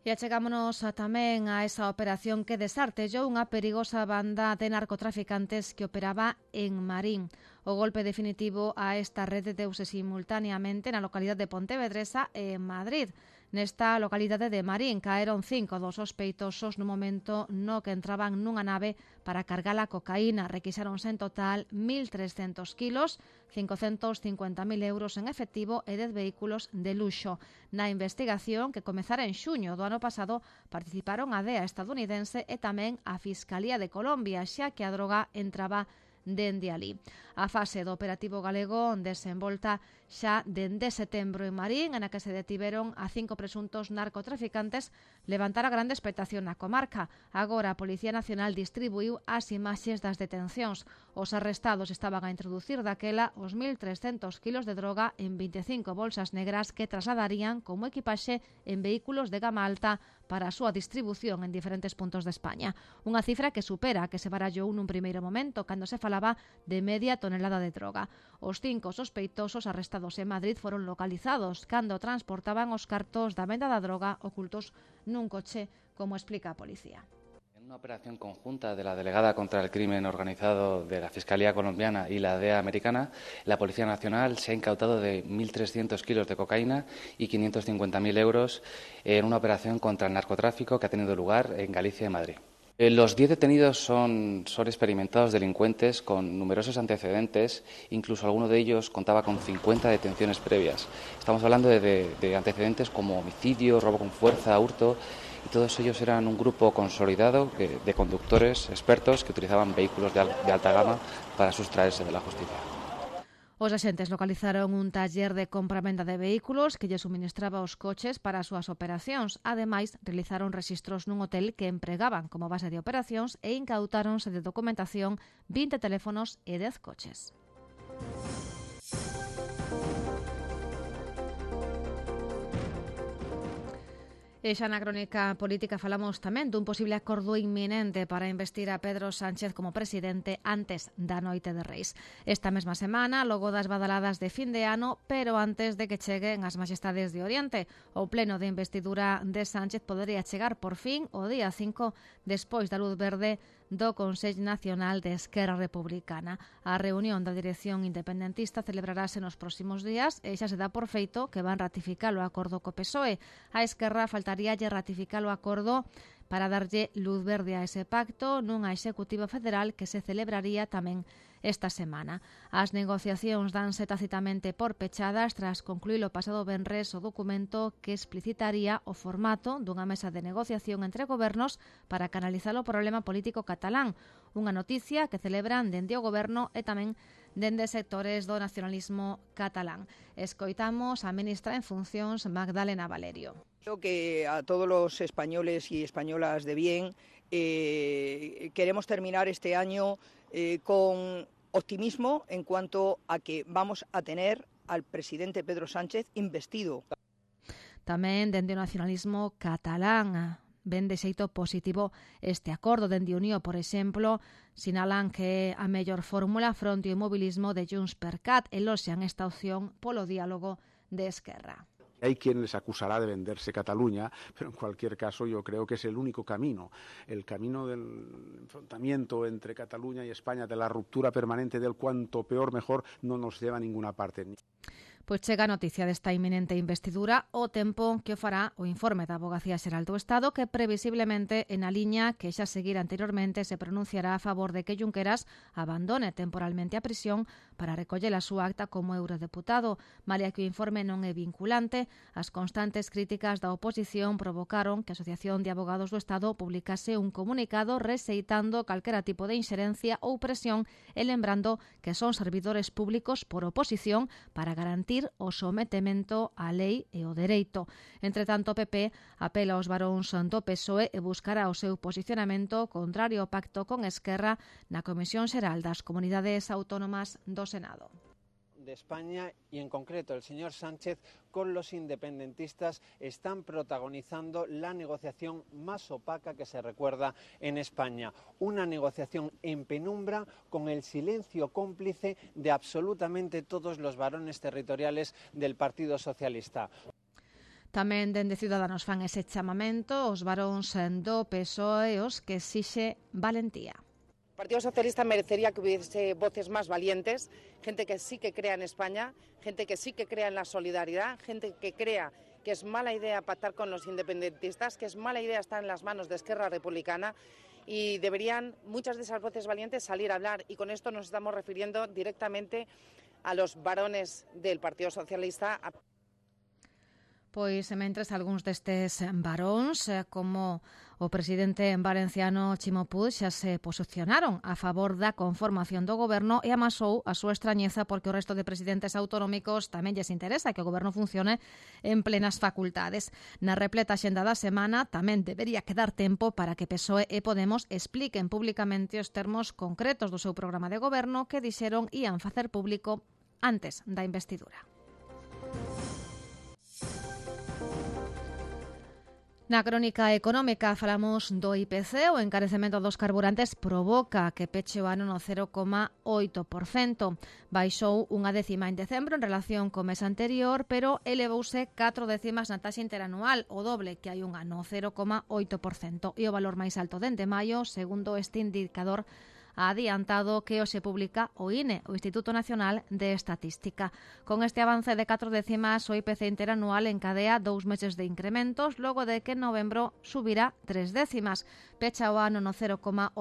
E achegámonos tamén a esa operación que desartellou unha perigosa banda de narcotraficantes que operaba en Marín. O golpe definitivo a esta rede deuse simultaneamente na localidade de Pontevedresa e en Madrid. Nesta localidade de Marín caeron 5 dos sospeitosos no momento no que entraban nunha nave para cargar a cocaína. Requisáronse en total 1.300 kilos, 550.000 euros en efectivo e 10 vehículos de luxo. Na investigación, que comezara en xuño do ano pasado, participaron a DEA estadounidense e tamén a Fiscalía de Colombia, xa que a droga entraba dende alí. A fase do operativo galego desenvolta xa dende setembro en Marín, na que se detiveron a 5 presuntos narcotraficantes, levantara grande expectación na comarca. Agora a Policía Nacional distribuiu as imaxes das detencións. Os arrestados estaban a introducir daquela os 1.300 kilos de droga en 25 bolsas negras que trasladarían como equipaxe en vehículos de gama alta para a súa distribución en diferentes puntos de España. Unha cifra que supera a que se barallou nun primeiro momento, cando se falaba de media tonelada de droga. Os 5 sospeitosos arrestados en Madrid foron localizados cando transportaban os cartos da venda da droga ocultos nun coche, como explica a policía. En una operación conjunta de la Delegada contra el Crimen Organizado de la Fiscalía Colombiana y la DEA americana, la Policía Nacional se ha incautado de 1.300 kilos de cocaína y 550.000 euros en una operación contra el narcotráfico que ha tenido lugar en Galicia y Madrid. Los 10 detenidos son experimentados delincuentes con numerosos antecedentes, incluso alguno de ellos contaba con 50 detenciones previas. Estamos hablando de antecedentes como homicidio, robo con fuerza, hurto, y todos ellos eran un grupo consolidado de conductores expertos que utilizaban vehículos de alta gama para sustraerse de la justicia. Os axentes localizaron un taller de compra-venda de vehículos que lle suministraba os coches para as súas operacións. Ademais, realizaron rexistros nun hotel que empregaban como base de operacións e incautáronse de documentación 20 teléfonos e 10 coches. E xa na crónica política falamos tamén dun posible acordo inminente para investir a Pedro Sánchez como presidente antes da noite de Reis. Esta mesma semana, logo das badaladas de fin de ano, pero antes de que cheguen as Majestades de Oriente. O pleno de investidura de Sánchez podería chegar por fin o día 5 despois da luz verde do Consello Nacional de Esquerra Republicana. A reunión da dirección independentista celebrarase nos próximos días e xa se dá por feito que van ratificar o acordo co PSOE. A Esquerra faltaríalle ratificar o acordo para darlle luz verde a ese pacto nunha executiva federal que se celebraría tamén esta semana. As negociacións danse tacitamente por pechadas tras concluir o pasado venres o documento que explicitaría o formato dunha mesa de negociación entre gobernos para canalizar o problema político catalán, unha noticia que celebran dende o goberno e tamén dende sectores do nacionalismo catalán. Escoitamos a ministra en funcións Magdalena Valerio. Creo que a todos los españoles y españolas de bien queremos terminar este año con optimismo en cuanto a que vamos a tener al presidente Pedro Sánchez investido. Tamén dende o nacionalismo catalán ven de xeito positivo este acordo. Dende Unió, por exemplo, sinalan que a mellor fórmula fronte ao inmobilismo de Junts per Cat eloxian esta opción polo diálogo de Esquerra. Hay quien les acusará de venderse Cataluña, pero en cualquier caso yo creo que es el único camino. El camino del enfrentamiento entre Cataluña y España, de la ruptura permanente del cuanto peor mejor, no nos lleva a ninguna parte. Pois chega a noticia desta inminente investidura o tempo que o fará o informe da Avogacía Xeral do Estado que previsiblemente en a liña que xa seguira anteriormente se pronunciará a favor de que Junqueras abandone temporalmente a prisión para recoller a súa acta como eurodeputado. Malia que o informe non é vinculante, as constantes críticas da oposición provocaron que a Asociación de Abogados do Estado publicase un comunicado rexeitando calquera tipo de inxerencia ou presión e lembrando que son servidores públicos por oposición para garantir o sometemento á lei e o dereito. Entre tanto, o PP apela aos varóns do PSOE e buscará o seu posicionamento contrario ao pacto con Esquerra na Comisión Xeral das Comunidades Autónomas do Senado. De España y en concreto el señor Sánchez con los independentistas están protagonizando la negociación más opaca que se recuerda en España. Una negociación en penumbra con el silencio cómplice de absolutamente todos los varones territoriales del Partido Socialista. Tamén dende Ciudadanos fan ese chamamento os varóns do PSOE os que exixe valentía. El Partido Socialista merecería que hubiese voces más valientes, gente que sí que crea en España, gente que sí que crea en la solidaridad, gente que crea que es mala idea pactar con los independentistas, que es mala idea estar en las manos de Esquerra Republicana y deberían muchas de esas voces valientes salir a hablar y con esto nos estamos refiriendo directamente a los varones del Partido Socialista. Pois, mentres algúns destes varóns, como o presidente valenciano Chimo Puig, xa se posicionaron a favor da conformación do goberno e amasou a súa extrañeza porque o resto de presidentes autonómicos tamén lles interesa que o goberno funcione en plenas facultades. Na repleta axenda da semana tamén debería quedar tempo para que PSOE e Podemos expliquen públicamente os termos concretos do seu programa de goberno que dixeron ían facer público antes da investidura. Na crónica económica falamos do IPC, o encarecemento dos carburantes provoca que peche o ano no 0,8%. Baixou unha décima en decembro en relación co mes anterior, pero elevouse 4 décimas na taxa interanual, o doble que hai un ano, 0,8%. E o valor máis alto dende maio, segundo este indicador, ha adiantado que hoxe publica o INE, o Instituto Nacional de Estatística. Con este avance de 4 décimas, o IPC interanual encadea 2 meses de incrementos, logo de que en novembro subirá 3 décimas. Pecha o ano no 0,8%,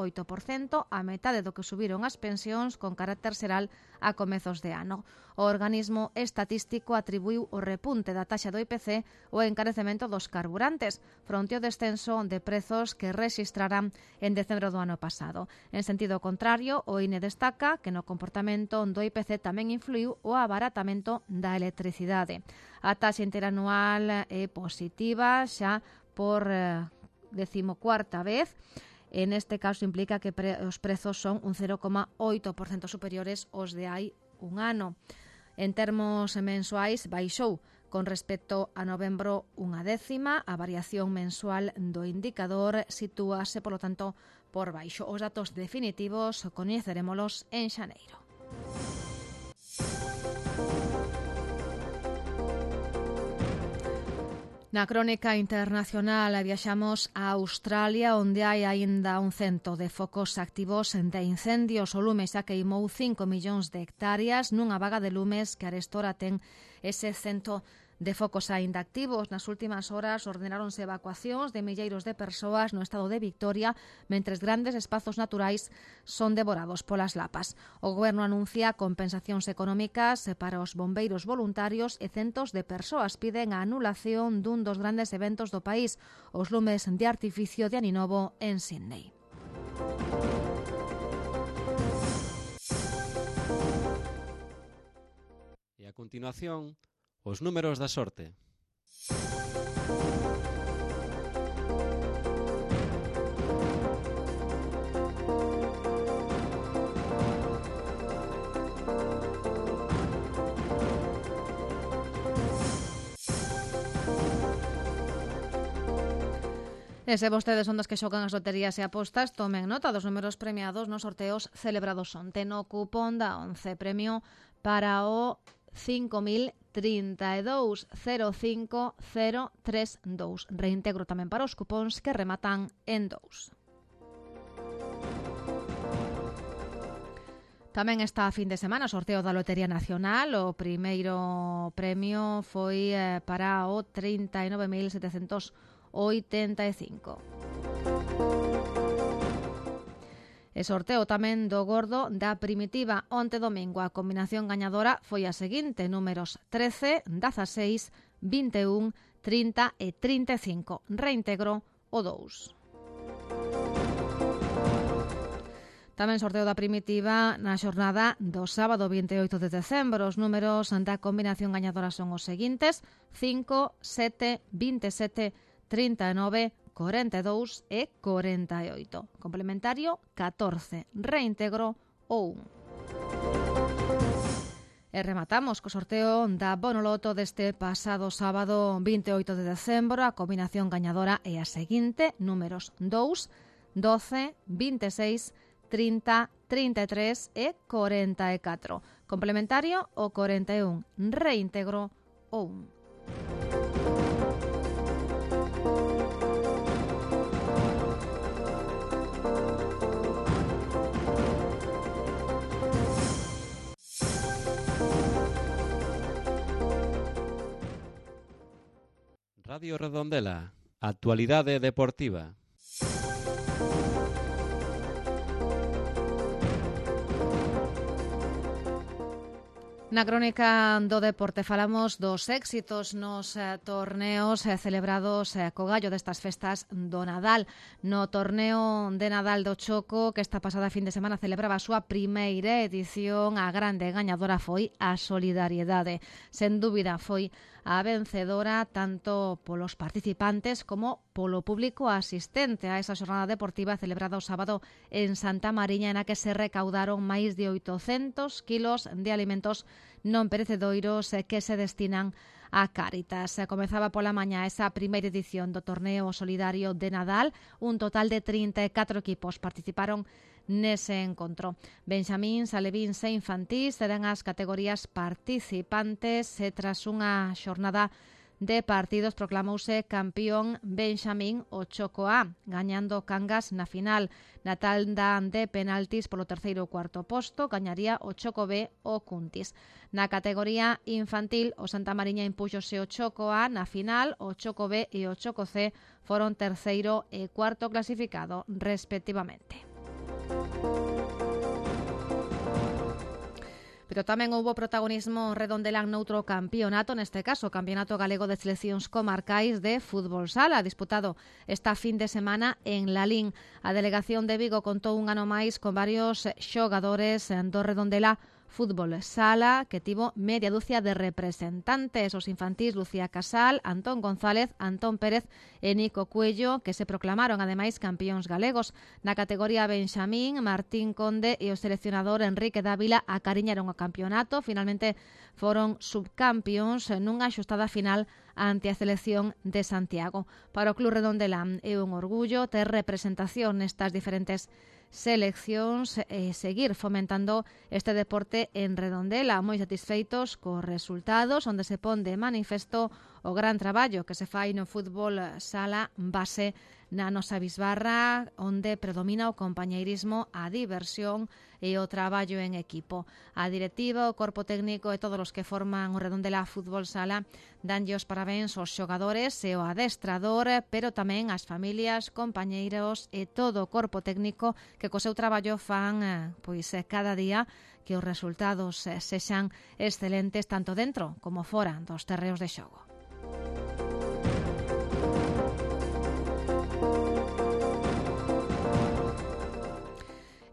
a metade do que subiron as pensións con carácter xeral a comezos de ano. O organismo estatístico atribuiu o repunte da taxa do IPC ao encarecemento dos carburantes, fronte ao descenso de prezos que rexistrarán en decembro do ano pasado. En sentido contrario, o INE destaca que no comportamento do IPC tamén influiu o abaratamento da electricidade. A taxa interanual é positiva xa por 14ª vez. En este caso implica que os prezos son un 0,8% superiores aos de hai un ano. En termos mensuais, baixou con respecto a novembro 1 décima. A variación mensual do indicador sitúase, polo tanto, por baixo. Os datos definitivos coñecerémolos en xaneiro. Na crónica internacional viaxamos a Australia, onde hai aínda un cento de focos activos de incendios. O lume xa queimou 5 millóns de hectáreas nunha vaga de lumes que arestora ten ese cento de focos aínda activos. Nas últimas horas ordenáronse evacuacións de milleiros de persoas no estado de Victoria, mentres grandes espazos naturais son devorados polas lapas. O goberno anuncia compensacións económicas para os bombeiros voluntarios e centos de persoas piden a anulación dun dos grandes eventos do país, os lumes de artificio de Aninovo en Sydney. E a continuación, os números da sorte. E se vostedes son dos que xogan as loterías e apostas, tomen nota dos números premiados nos sorteos celebrados onte. No cupón da 11, premio para o 5.032.05032. Reintegro tamén para os cupóns que rematan en 2. Tamén está a fin de semana o sorteo da Lotería Nacional. O primeiro premio foi para o 39.785. E sorteo tamén do gordo da Primitiva onte domingo. A combinación gañadora foi a seguinte: números 13, 16, 21, 30 e 35. Reintegro o 2. Tamén sorteo da Primitiva na xornada do sábado 28 de decembro. Os números da combinación gañadora son os seguintes: 5, 7, 27, 39, 42 e 48. Complementario 14. Reintegro o 1. E rematamos co sorteo da Bonoloto deste pasado sábado 28 de decembro. A combinación gañadora é a seguinte: números 2, 12, 26, 30, 33 e 44. Complementario o 41. Reintegro o 1. Radio Redondela, actualidade deportiva. Na crónica do deporte falamos dos éxitos nos torneos celebrados co gallo destas festas do Nadal. No torneo de Nadal do Choco, que esta pasada fin de semana celebraba a súa primeira edición, a grande gañadora foi a Solidariedade. Sen dúbida foi a vencedora tanto polos participantes como polo público asistente a esa xornada deportiva celebrada o sábado en Santa Mariña, na que se recaudaron máis de 800 kilos de alimentos non perecedoiros que se destinan a Cáritas. Comezaba pola mañá esa primeira edición do torneo solidario de Nadal. Un total de 34 equipos participaron nese encontro. Benxamíns, alevíns e infantís serán as categorías participantes tras unha xornada de partidos proclamouse campeón Benxamín o Choco A, gañando Cangas na final. Na tanda de penaltis polo terceiro e cuarto posto, gañaría o Choco B o Cuntis. Na categoría infantil, o Santa Mariña impúxose o Choco A na final, o Choco B e o Choco C foron terceiro e cuarto clasificado, respectivamente. Pero tamén houbo protagonismo redondelán noutro campeonato, neste caso o Campeonato Galego de Seleccións Comarcais de Fútbol Sala, disputado esta fin de semana en Lalín. A delegación de Vigo contou un ano máis con varios xogadores do Redondela Fútbol Sala, que tivo media dúcia de representantes, os infantís Lucía Casal, Antón González, Antón Pérez e Nico Cuello, que se proclamaron ademais campións galegos. Na categoría Benxamín, Martín Conde e o seleccionador Enrique Dávila acariñaron o campeonato, finalmente foron subcampións nunha axustada final ante a selección de Santiago. Para o Club Redondelán é un orgullo ter representación nestas diferentes seleccións e seguir fomentando este deporte en Redondela, moi satisfeitos cos resultados, onde se pon de manifesto o gran traballo que se fai no fútbol sala base na nosa bisbarra, onde predomina o compañeirismo, a diversión e o traballo en equipo. A directiva, o corpo técnico e todos os que forman o Redondela Fútbol Sala danlle os parabéns aos xogadores e ao adestrador, pero tamén ás familias, compañeiros e todo o corpo técnico que co seu traballo fan cada día que os resultados sexan excelentes tanto dentro como fora dos terreos de xogo.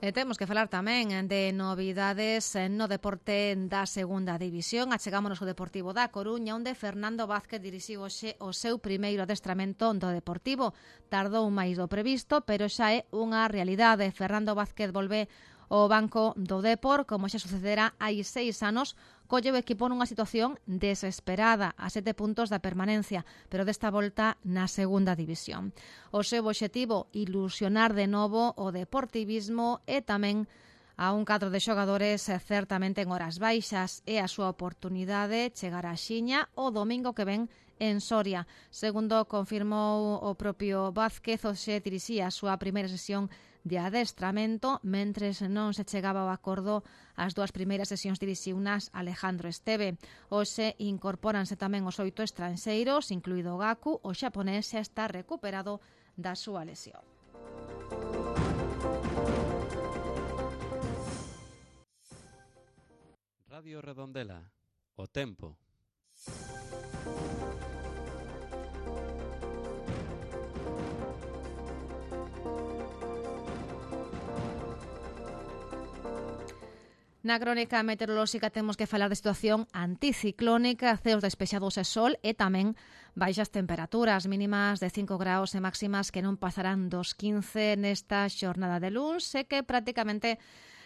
E temos que falar tamén de novidades no deporte da segunda división. Achegámonos ao Deportivo da Coruña, onde Fernando Vázquez dirixiu hoxe o seu primeiro adestramento do Deportivo. Tardou máis do previsto, pero xa é unha realidade. Fernando Vázquez volve ao banco do Depor, como xa sucedera hai 6 anos, colle o equipo nunha situación desesperada, a 7 puntos da permanencia, pero desta volta na segunda división. O seu obxectivo, ilusionar de novo o deportivismo e tamén a un cadro de xogadores certamente en horas baixas, e a súa oportunidade chegar a Xiña o domingo que ven en Soria. Segundo confirmou o propio Vázquez, hoxe dirixía a súa primeira sesión de adestramento, mentres non se chegaba ao acordo as dúas primeiras sesións dirixiunas Alejandro Esteve. Hoxe incorpóranse tamén os 8 estranxeiros, incluído o Gaku, o xaponés xa está recuperado da súa lesión. Radio Redondela, o tempo. Na crónica meteorolóxica temos que falar de situación anticiclónica, ceos despexados e sol e tamén baixas temperaturas mínimas de 5 graus e máximas que non pasarán dos 15 nesta xornada de luns e que prácticamente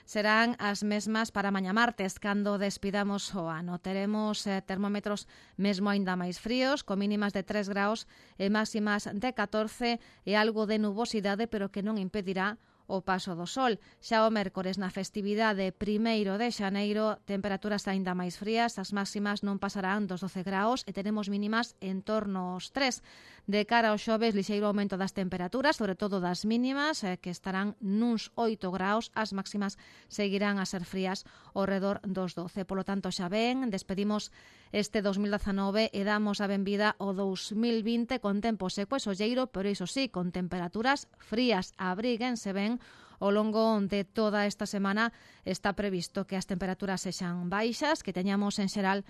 serán as mesmas para mañá martes, cando despidamos o ano. Teremos termómetros mesmo aínda máis fríos, con mínimas de 3 graus e máximas de 14 e algo de nubosidade, pero que non impedirá o paso do sol. Xa o mércores na festividade 1 de xaneiro, temperaturas aínda máis frías, as máximas non pasarán dos 12 graus e teremos mínimas en torno aos 3. De cara ao xoves, lixeiro aumento das temperaturas, sobre todo das mínimas, que estarán nuns 8 graus, as máximas seguirán a ser frías ao redor dos 12. Polo tanto, xa ven, despedimos este 2019 e damos a benvida ao 2020 con tempo seco e solleiro, pero iso sí, con temperaturas frías. Abríguense ben. Ao longo de toda esta semana está previsto que as temperaturas sexan baixas, que teñamos en xeral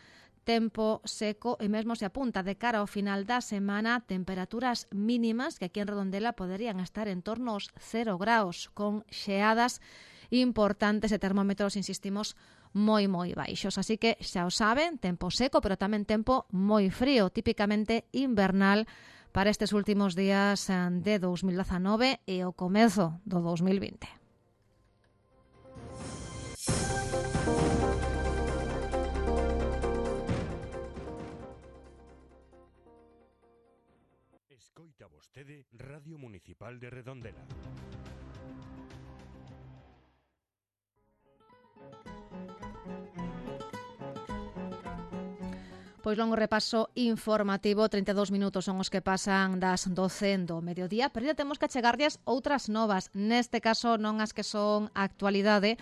tempo seco e mesmo se apunta de cara ao final da semana temperaturas mínimas que aquí en Redondela poderían estar en torno aos 0 graus, con xeadas importantes e termómetros, insistimos, moi baixos. Así que xa o saben, tempo seco, pero tamén tempo moi frío, típicamente invernal para estes últimos días de 2019 e o comezo do 2020. Escoita vostede Radio Municipal de Redondela. Pois longo repaso informativo, 32 minutos son os que pasan das 12 do mediodía, pero ya temos que chegarlles outras novas, neste caso non as que son actualidade,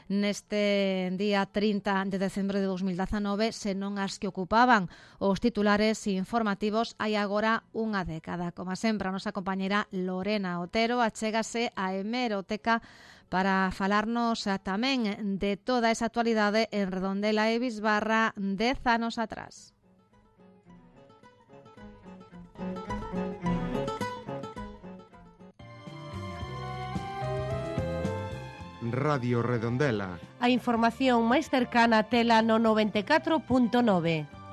neste día 30 de decembro de 2019, senón as que ocupaban os titulares informativos hai agora unha década. Como sempre, a nosa compañera Lorena Otero achégase a hemeroteca para falarnos tamén de toda esa actualidade en Redondela e Bisbarra 10 anos atrás. Radio Redondela. A información máis cercana tela no 94.9.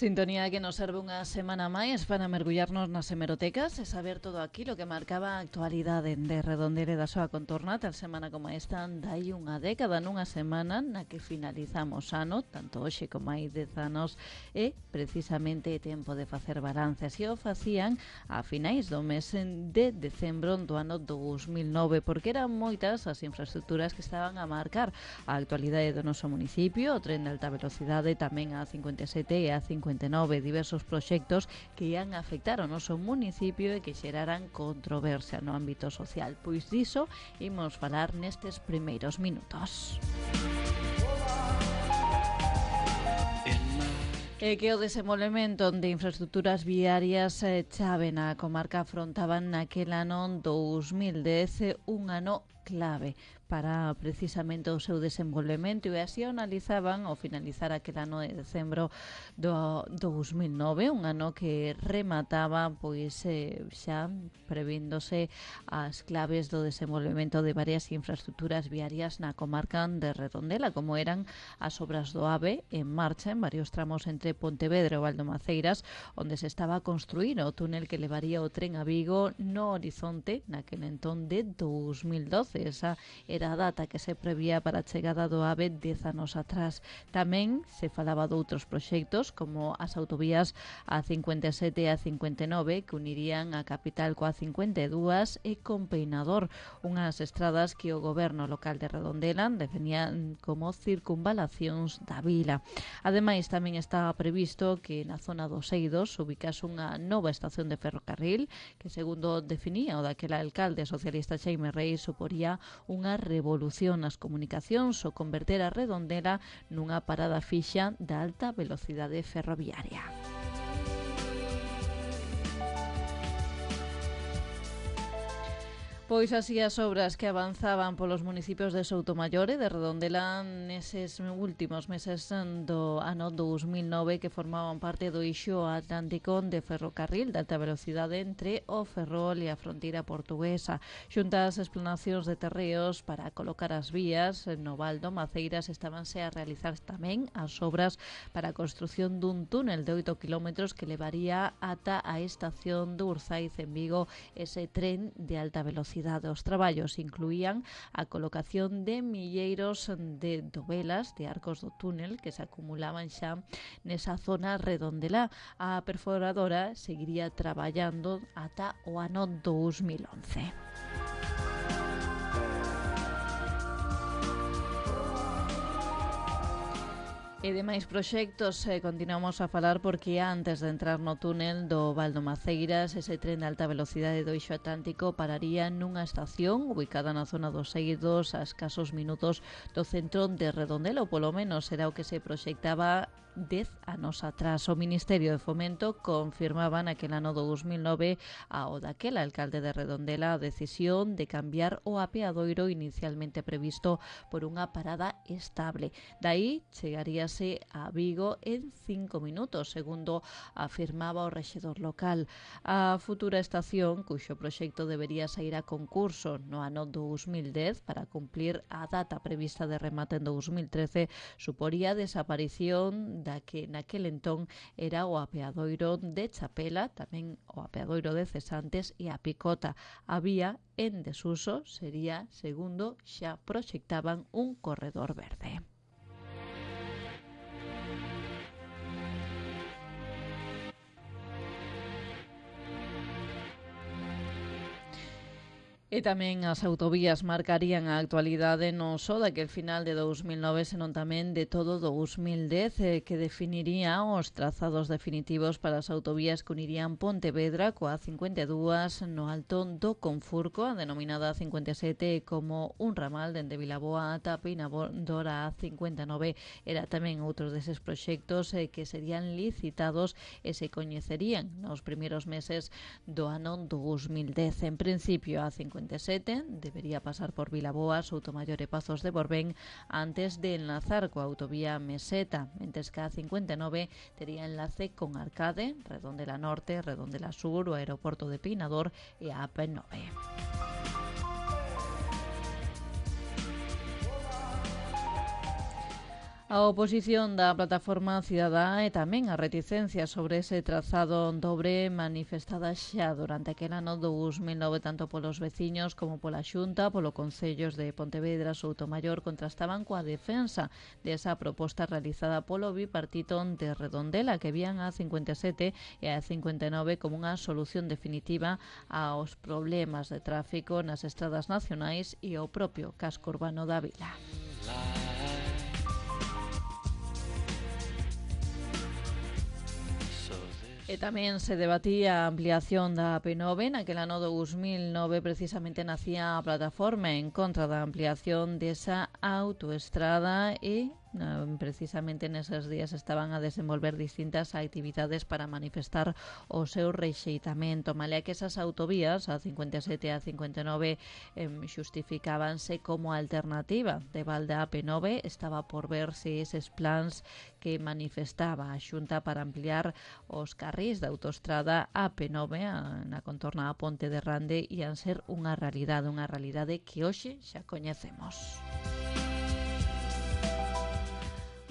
Sintonía que nos serve unha semana máis para mergullarnos nas hemerotecas e saber todo aquilo que marcaba a actualidade de Redondela e da súa contorna tal semana como esta dai unha década nunha semana na que finalizamos ano, tanto hoxe como hai 10 anos, e precisamente tempo de facer balance. Así o facían a finais do mes de decembro do ano 2009, porque eran moitas as infraestructuras que estaban a marcar a actualidade do noso municipio, o tren de alta velocidade, tamén a 57 e a 59, diversos proxectos que ian afectar ao noso municipio e que xeraran controversia no ámbito social. Pois diso imos falar nestes primeiros minutos. E que o desenvolvemento de infraestructuras viarias chave na comarca afrontaban naquel ano 2010 un ano clave para precisamente o seu desenvolvemento, e así o analizaban ao finalizar aquel ano de decembro do 2009, un ano que remataba pois xa prevíndose as claves do desenvolvemento de varias infraestructuras viarias na comarca de Redondela, como eran as obras do AVE en marcha en varios tramos entre Pontevedra e Valdemaceiras, onde se estaba a construir o túnel que levaría o tren a Vigo no horizonte naquel entón de 2012. Esa era a data que se prevía para a chegada do AVE 10 anos atrás. Tamén se falaba de outros proxectos como as autovías A57 e A59 que unirían a capital coa 52 e con Peinador, unhas estradas que o goberno local de Redondela definía como circunvalacións da vila. Ademais, tamén estaba previsto que na zona dos Eidos ubicase unha nova estación de ferrocarril que, segundo definía o daquela alcalde socialista Xaime Reis, suporía unha revolución nas comunicacións o converter a Redondela nunha parada fixa da alta velocidade ferroviaria. Pois así as obras que avanzaban polos municipios de Soutomaior e de Redondela neses últimos meses do ano 2009 que formaban parte do eixo atlántico de ferrocarril de alta velocidade entre o Ferrol e a fronteira portuguesa. Xunta as explanacións de terreos para colocar as vías no Val do Maceiras estabanse a realizar tamén as obras para a construción dun túnel de 8 km que levaría ata a estación de Urzaiz en Vigo ese tren de alta velocidade. Os traballos incluían a colocación de milleiros de dovelas de arcos do túnel que se acumulaban xa nesa zona Redondela. A perforadora seguiría traballando ata o ano 2011. E de máis proxectos continuamos a falar porque antes de entrar no túnel do Val do Maceiras, ese tren de alta velocidade do eixo atlántico pararía nunha estación ubicada na zona dos Eidos a escasos minutos do centro de Redondela, ou polo menos era o que se proxectaba 10 anos atrás. O Ministerio de Fomento confirmaba naquel ano 2009 ao daquel alcalde de Redondela a decisión de cambiar o apeadoiro inicialmente previsto por unha parada estable. Daí chegaría chegarase a Vigo en 5 minutos, segundo afirmaba o rexedor local. A futura estación, cuxo proxecto debería sair a concurso no ano 2010 para cumplir a data prevista de remate en 2013, suporía a desaparición da que naquel entón era o apeadoiro de Chapela, tamén o apeadoiro de Cesantes e a Picota. A vía en desuso sería, segundo, xa proxectaban un corredor verde. E tamén as autovías marcarían a actualidade non só daquel final de 2009, senón tamén de todo 2010, que definiría os trazados definitivos para as autovías que unirían Pontevedra coa 52 no Alto do Confurco, a denominada 57, como un ramal dende Vilaboa ata Peinador a 59. Era tamén outro deses proxectos que serían licitados e se coñecerían nos primeiros meses do ano 2010. En principio, a 57 debería pasar por Vilaboa, Soutomaior e Pazos de Borbén antes de enlazar coa autovía Meseta, mentres que a 59 tería enlace con Arcade, Redondela Norte, Redondela Sur, o aeroporto de Peinador e a AP9. A oposición da plataforma cidadá e tamén a reticencia sobre ese trazado dobre manifestada xa durante aquel ano 2009 tanto polos veciños como pola Xunta, polo Concellos de Pontevedra, Soutomaior, contrastaban coa defensa desa proposta realizada polo bipartito de Redondela, que vían a 57 e a 59 como unha solución definitiva aos problemas de tráfico nas estradas nacionais e o propio casco urbano da vila. E tamén se debatía a ampliación da AP9. Naquel ano 2009 precisamente nacía a plataforma en contra da ampliación desa autoestrada e precisamente neses días estaban a desenvolver distintas actividades para manifestar o seu rexeitamento. Malia que esas autovías, a 57 e a 59, xustificábanse como alternativa de balde a AP9, estaba por ver se eses plans que manifestaba a Xunta para ampliar os carrís da autoestrada AP9 na contorna a Ponte de Rande ian ser unha realidade que hoxe xa coñecemos.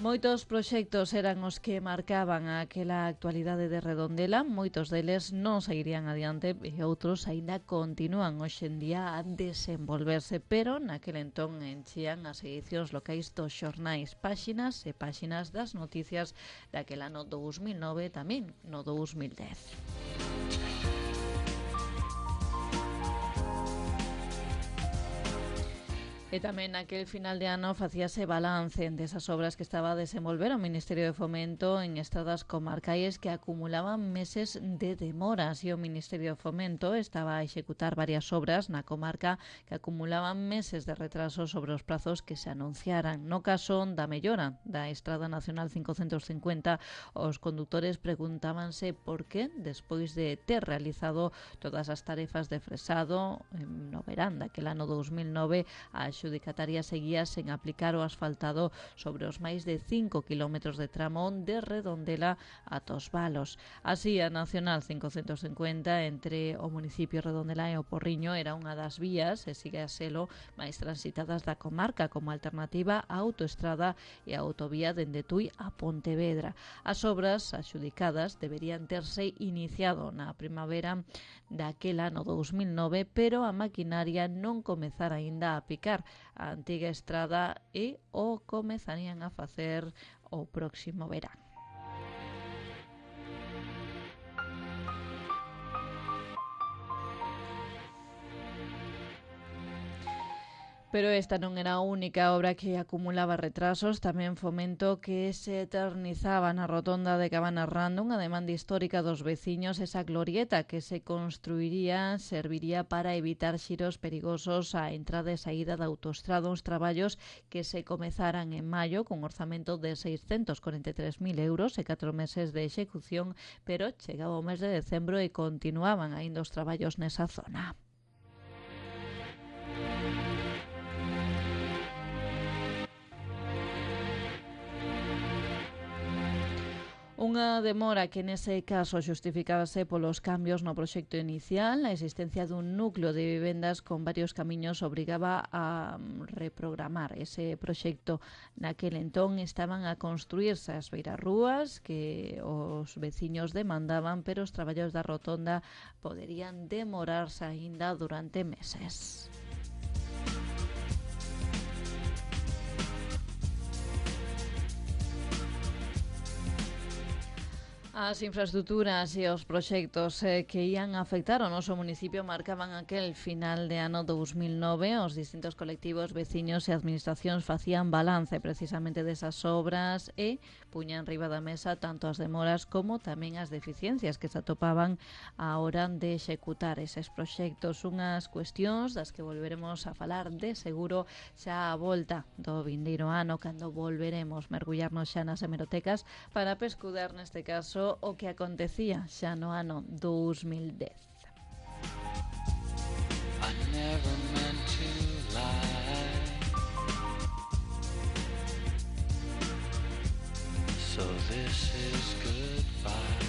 Moitos proxectos eran os que marcaban aquela actualidade de Redondela, moitos deles non sairían adiante e outros aínda continúan hoxe en día a desenvolverse, pero naquel entón enchían as edicións locais dos xornais, páxinas e páxinas das noticias daquel ano 2009 tamén no 2010. E tamén naquel final de ano facíase balance desas obras que estaba a desenvolver o Ministerio de Fomento en estradas comarcais que acumulaban meses de demoras, e o Ministerio de Fomento estaba a executar varias obras na comarca que acumulaban meses de retraso sobre os prazos que se anunciaran. No caso da mellora da Estrada Nacional 550, os condutores preguntábanse por que, despois de ter realizado todas as tarefas de fresado no verán daquel ano 2009, a adxudicataria seguía sen aplicar o asfaltado sobre os máis de 5 km de tramo de Redondela a Tosvalos. Así, a Nacional 550 entre o municipio de Redondela e o Porriño era unha das vías, e sigue a selo, máis transitadas da comarca como alternativa á autoestrada e a autovía dende Tui a Pontevedra. As obras adxudicadas deberían terse iniciado na primavera daquel ano 2009, pero a maquinaria non comezara aínda a picar a antiga estrada e o comezarían a facer o próximo verán. Pero esta non era a única obra que acumulaba retrasos. Tamén Fomento que se eternizaba na rotonda de Cabanas Rando, unha demanda histórica dos veciños. Esa glorieta que se construiría serviría para evitar xiros perigosos á entrada e saída da autoestrada, uns traballos que se comezaran en maio con orzamento de 643.000 euros e 4 meses de execución, pero chegaba o mes de decembro e continuaban aínda os traballos nesa zona. Unha demora que nese caso xustificábase polos cambios no proxecto inicial. A existencia dun núcleo de vivendas con varios camiños obrigaba a reprogramar ese proxecto. Naquel entón estaban a construírse as beirarrúas que os veciños demandaban, pero os traballos da rotonda poderían demorarse aínda durante meses. As infraestructuras e os proxectos que ían afectar ao noso municipio marcaban aquel final de ano 2009. Os distintos colectivos, veciños e administracións facían balance precisamente desas obras e puñan riba da mesa tanto as demoras como tamén as deficiencias que se atopaban á hora de executar eses proxectos. Unhas cuestións das que volveremos a falar de seguro xa á volta do vindeiro ano, cando volveremos mergullarnos xa nas hemerotecas para pescudar neste caso o que acontecía xa no ano 2010. I never meant to lie, so this is goodbye.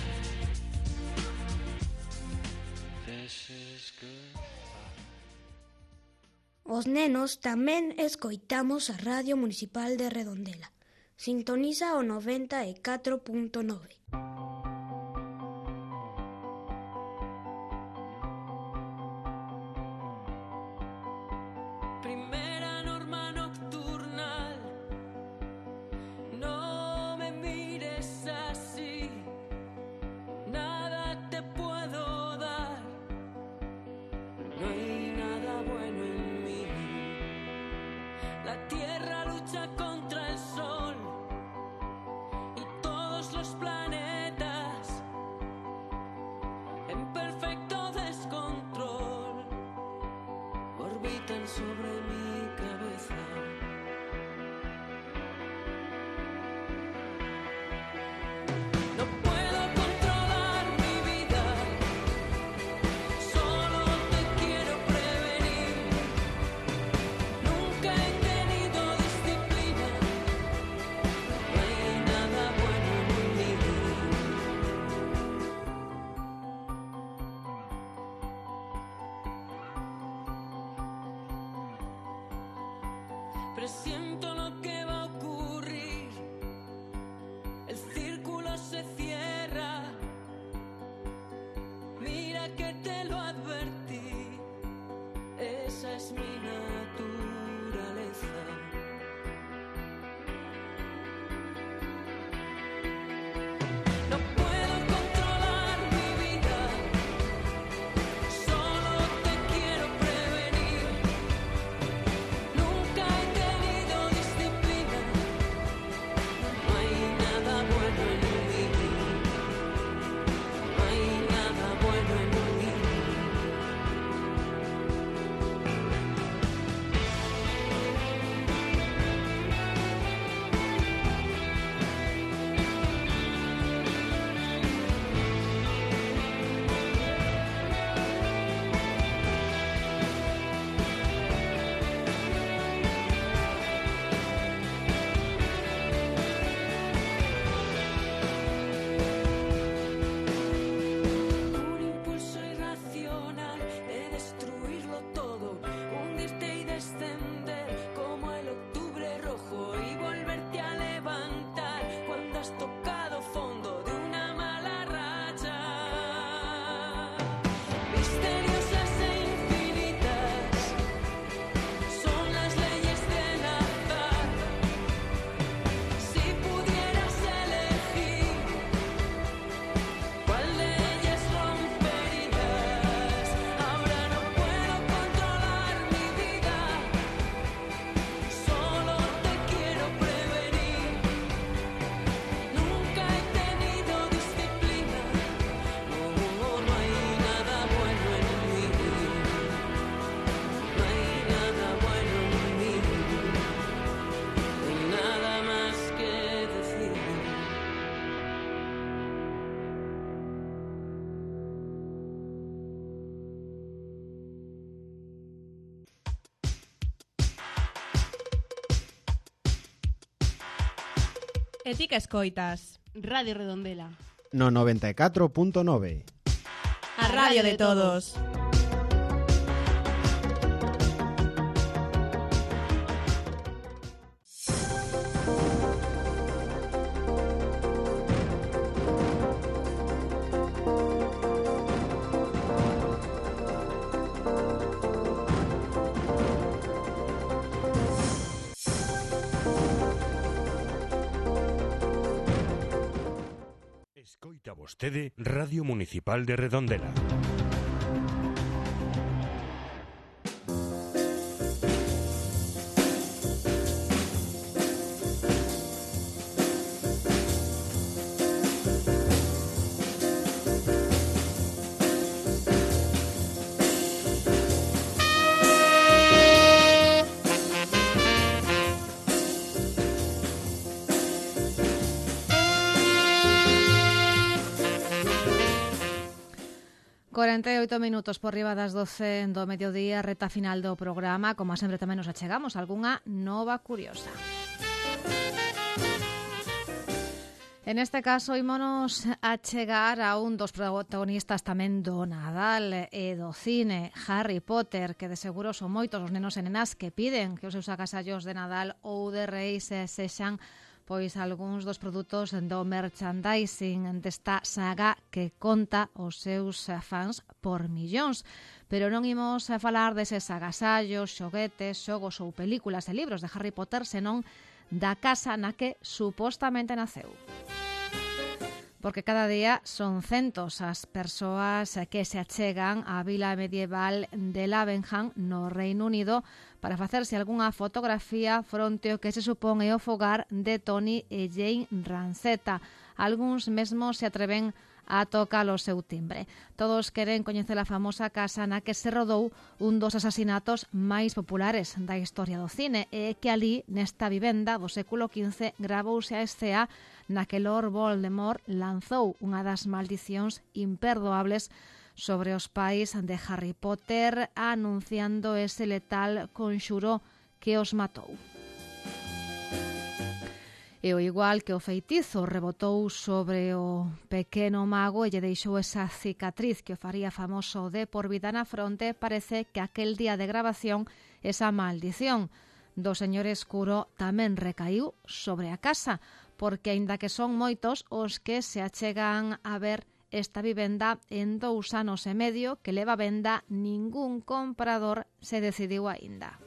This is goodbye. Os nenos tamén escoitamos a Radio Municipal de Redondela. Sintoniza o 94.9. Presiento lo que va a ocurrir. El círculo se cierra. Mira que te lo advertí. Esa es mi naturaleza. No puedo controlar mi vida. Solo te quiero prevenir. Nunca he tenido disciplina. No hay nada bueno en mí. No hay nada bueno en mí. Un impulso irracional de destruirlo todo, hundirte y descender como el octubre rojo y volverte a levantar cuando has tocado fondo de una mala racha. Misteriosas e infinitas son las leyes del azar. Si pudieras elegir ¿cuál de ellas romperías? Ahora no puedo controlar mi vida. Solo te quiero prevenir. Nunca he tenido disciplina. No, no hay nada bueno en mí. No hay nada bueno en mí. No hay nada más que decir. E ti que escoitas? Radio Redondela. No 94.9. A radio de todos. Escoita vostede Radio Municipal de Redondela. Minutos por riba das 12 do mediodía, reta final do programa. Como sempre tamén nos achegamos algunha nova curiosa. En este caso, ímonos a chegar a un dos protagonistas tamén do Nadal e do cine, Harry Potter, que de seguro son moitos os nenos e nenas que piden que os seus agasallos de Nadal ou de Reis sexan pois algúns dos produtos do merchandising desta saga que conta os seus fans por millóns. Pero non imos a falar deses agasallos, xoguetes, xogos ou películas e libros de Harry Potter, senón da casa na que supostamente naceu. Porque cada día son centos as persoas que se achegan á vila medieval de Lavenham, no Reino Unido, para facerse algunha fotografía fronte ao que se supón é o fogar de Tony e Jane Ransetta. Algúns mesmos se atreven a tocar o seu timbre. Todos queren coñecer a famosa casa na que se rodou un dos asasinatos máis populares da historia do cine, e que ali, nesta vivenda do século XV, gravouse a escena na que Lord Voldemort lanzou unha das maldicións imperdoables sobre os pais de Harry Potter, anunciando ese letal conxuro que os matou. E o igual que o feitizo rebotou sobre o pequeno mago e lle deixou esa cicatriz que o faría famoso de por vida na fronte, parece que aquel día de grabación esa maldición do señor escuro tamén recaiu sobre a casa, porque aínda que son moitos os que se achegan a ver esta vivenda en 2 anos e medio que leva venda, ningún comprador se decidiu aínda.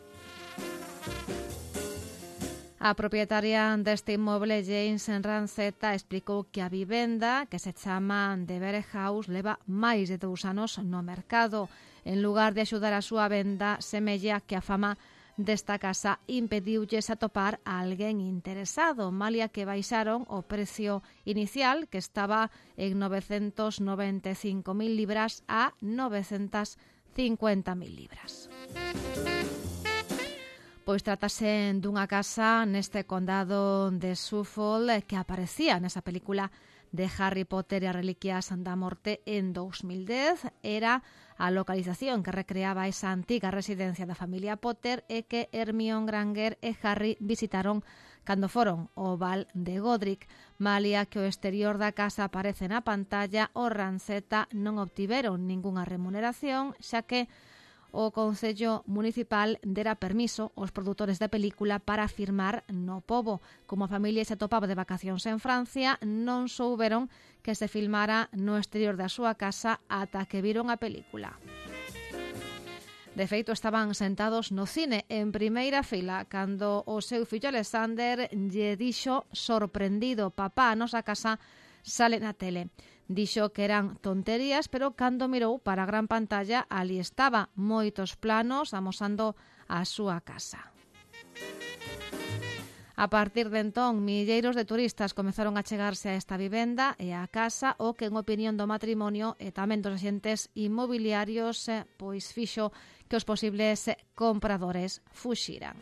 A propietaria deste inmoble, James Ransetta, explicou que a vivenda, que se chama The Bear House, leva máis de 2 anos no mercado. En lugar de axudar a súa venda, semella que a fama desta casa impediulles atopar a alguén interesado, malia que baixaron o precio inicial, que estaba en 995.000 libras, a 950.000 libras. Pois trátase dunha casa neste condado de Suffolk que aparecía nesa película de Harry Potter e as Reliquias da Morte en 2010. Era a localización que recreaba esa antiga residencia da familia Potter e que Hermione Granger e Harry visitaron cando foron ao Val de Godric. Malia que o exterior da casa aparece na pantalla, os Ransetta non obtiveron ningunha remuneración, xa que o Concello Municipal dera permiso aos produtores da película para filmar no pobo. Como a familia se atopaba de vacacións en Francia, non souberon que se filmara no exterior da súa casa ata que viron a película. De feito, estaban sentados no cine en primeira fila cando o seu fillo Alexander lle dixo sorprendido: "Papá, a nosa casa sale na tele". Dixo que eran tonterías, pero cando mirou para a gran pantalla, ali estaba, moitos planos amosando a súa casa. A partir de entón, milleiros de turistas comezaron a chegarse a esta vivenda e a casa, o que en opinión do matrimonio e tamén dos axentes inmobiliarios pois fixo que os posibles compradores fuxiran.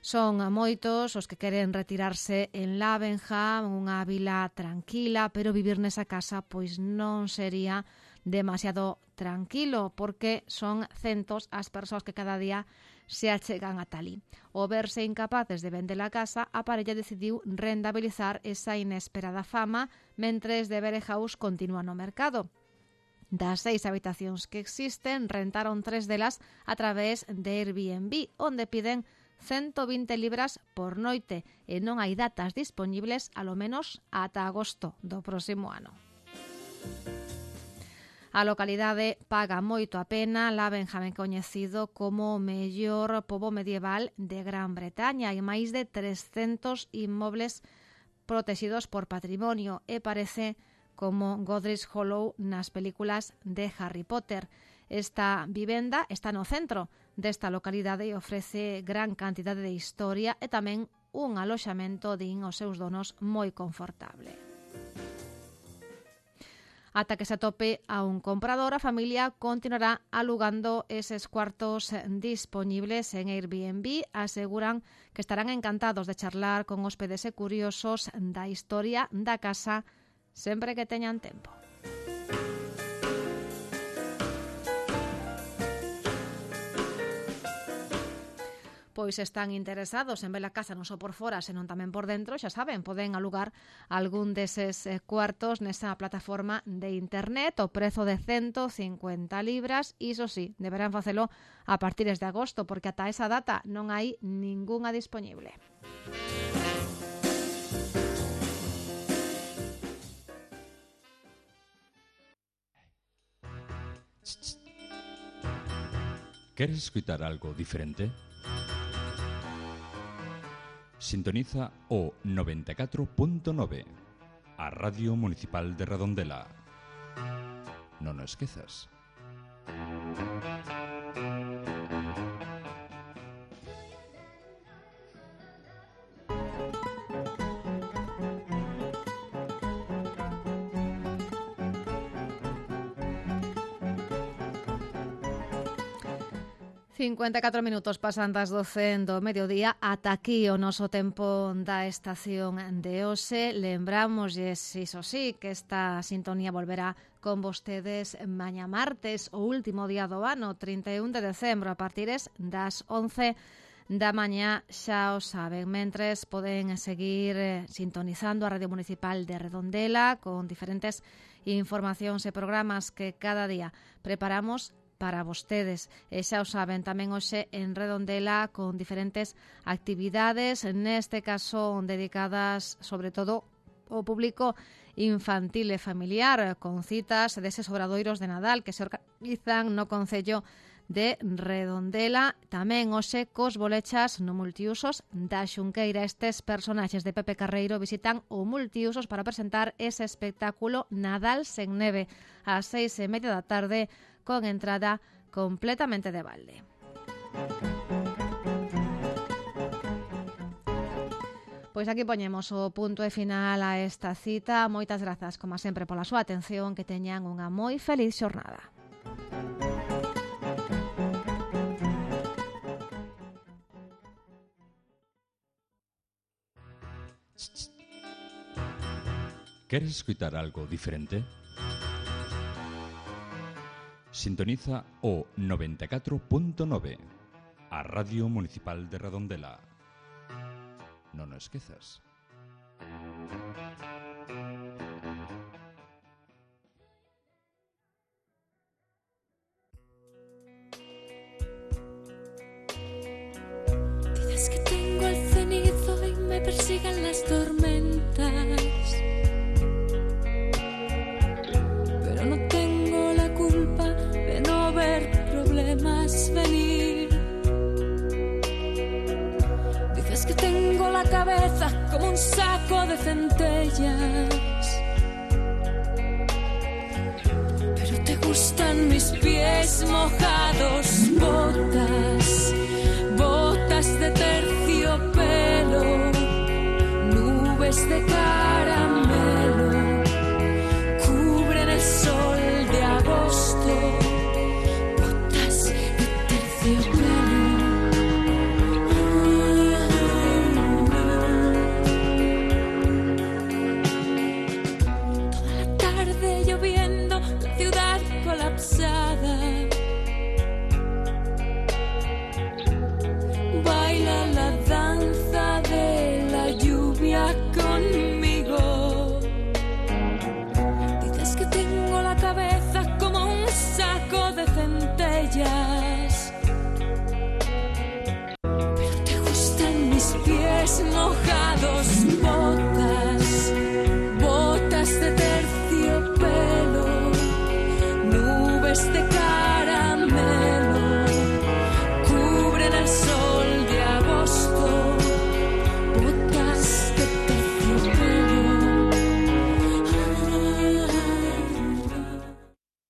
Son moitos os que queren retirarse en Lavenham, unha vila tranquila, pero vivir nesa casa pois non sería demasiado tranquilo, porque son centos as persoas que cada día se achegan a talí. O verse incapaces de vender a casa, a parella decidiu rentabilizar esa inesperada fama mentres de Bere House continúa no mercado. Das 6 habitacións que existen, rentaron 3 delas a través de Airbnb, onde piden 120 libras por noite e non hai datas dispoñibles alo menos ata agosto do próximo ano. A localidade paga moito a pena, Lavenham é coñecido como o mellor pobo medieval de Gran Bretaña. Hai máis de 300 inmobles protegidos por patrimonio e parece como Godric's Hollow nas películas de Harry Potter. Esta vivenda está no centro desta localidade e ofrece gran cantidade de historia e tamén un aloxamento, din os seus donos, moi confortable. Ata que se atope a un comprador, a familia continuará alugando eses cuartos dispoñibles en Airbnb. Aseguran que estarán encantados de charlar con hóspedes e curiosos da historia da casa sempre que teñan tempo. Pois están interesados en ver a casa non só por fora, senón tamén por dentro, xa saben, poden alugar algún deses cuartos nesa plataforma de internet, o prezo de 150 libras, iso sí, deberán facelo a partir de agosto, porque ata esa data non hai ningunha dispoñible. ¿Queres escutar algo diferente? Sintoniza o 94.9, a Radio Municipal de Redondela. Non o esquezas. 54 minutos pasan das 12 do mediodía. Ata aquí o noso tempo da estación de hoxe. Lembramosles, iso sí, que esta sintonía volverá con vostedes mañá martes, o último día do ano, 31 de decembro, a partir das 11 da mañá, xa o saben. Mentres poden seguir sintonizando a Radio Municipal de Redondela con diferentes informacións e programas que cada día preparamos para vostedes. E xa o saben, tamén hoxe en Redondela con diferentes actividades, neste caso dedicadas sobre todo ao público infantil e familiar, con citas deses obradoiros de Nadal que se organizan no Concello de Redondela. Tamén hoxe cos bolechas no multiusos da Xunqueira. Estes personaxes de Pepe Carreiro visitan o multiusos para presentar ese espectáculo Nadal sen neve ás 6:30 da tarde, con entrada completamente de balde. Pois aquí poñemos o punto e final a esta cita. Moitas grazas, como sempre, pola súa atención. Que teñan unha moi feliz xornada. ¿Queres escutar algo diferente? Sintoniza o 94.9, a Radio Municipal de Redondela. Non o esquezas. Dices que tengo el cenizo y me persigan las tormentas, pero no tengo la culpa de no ver problemas venir. Dices que tengo la cabeza como un saco de centellas, pero te gustan mis pies mojados, botas.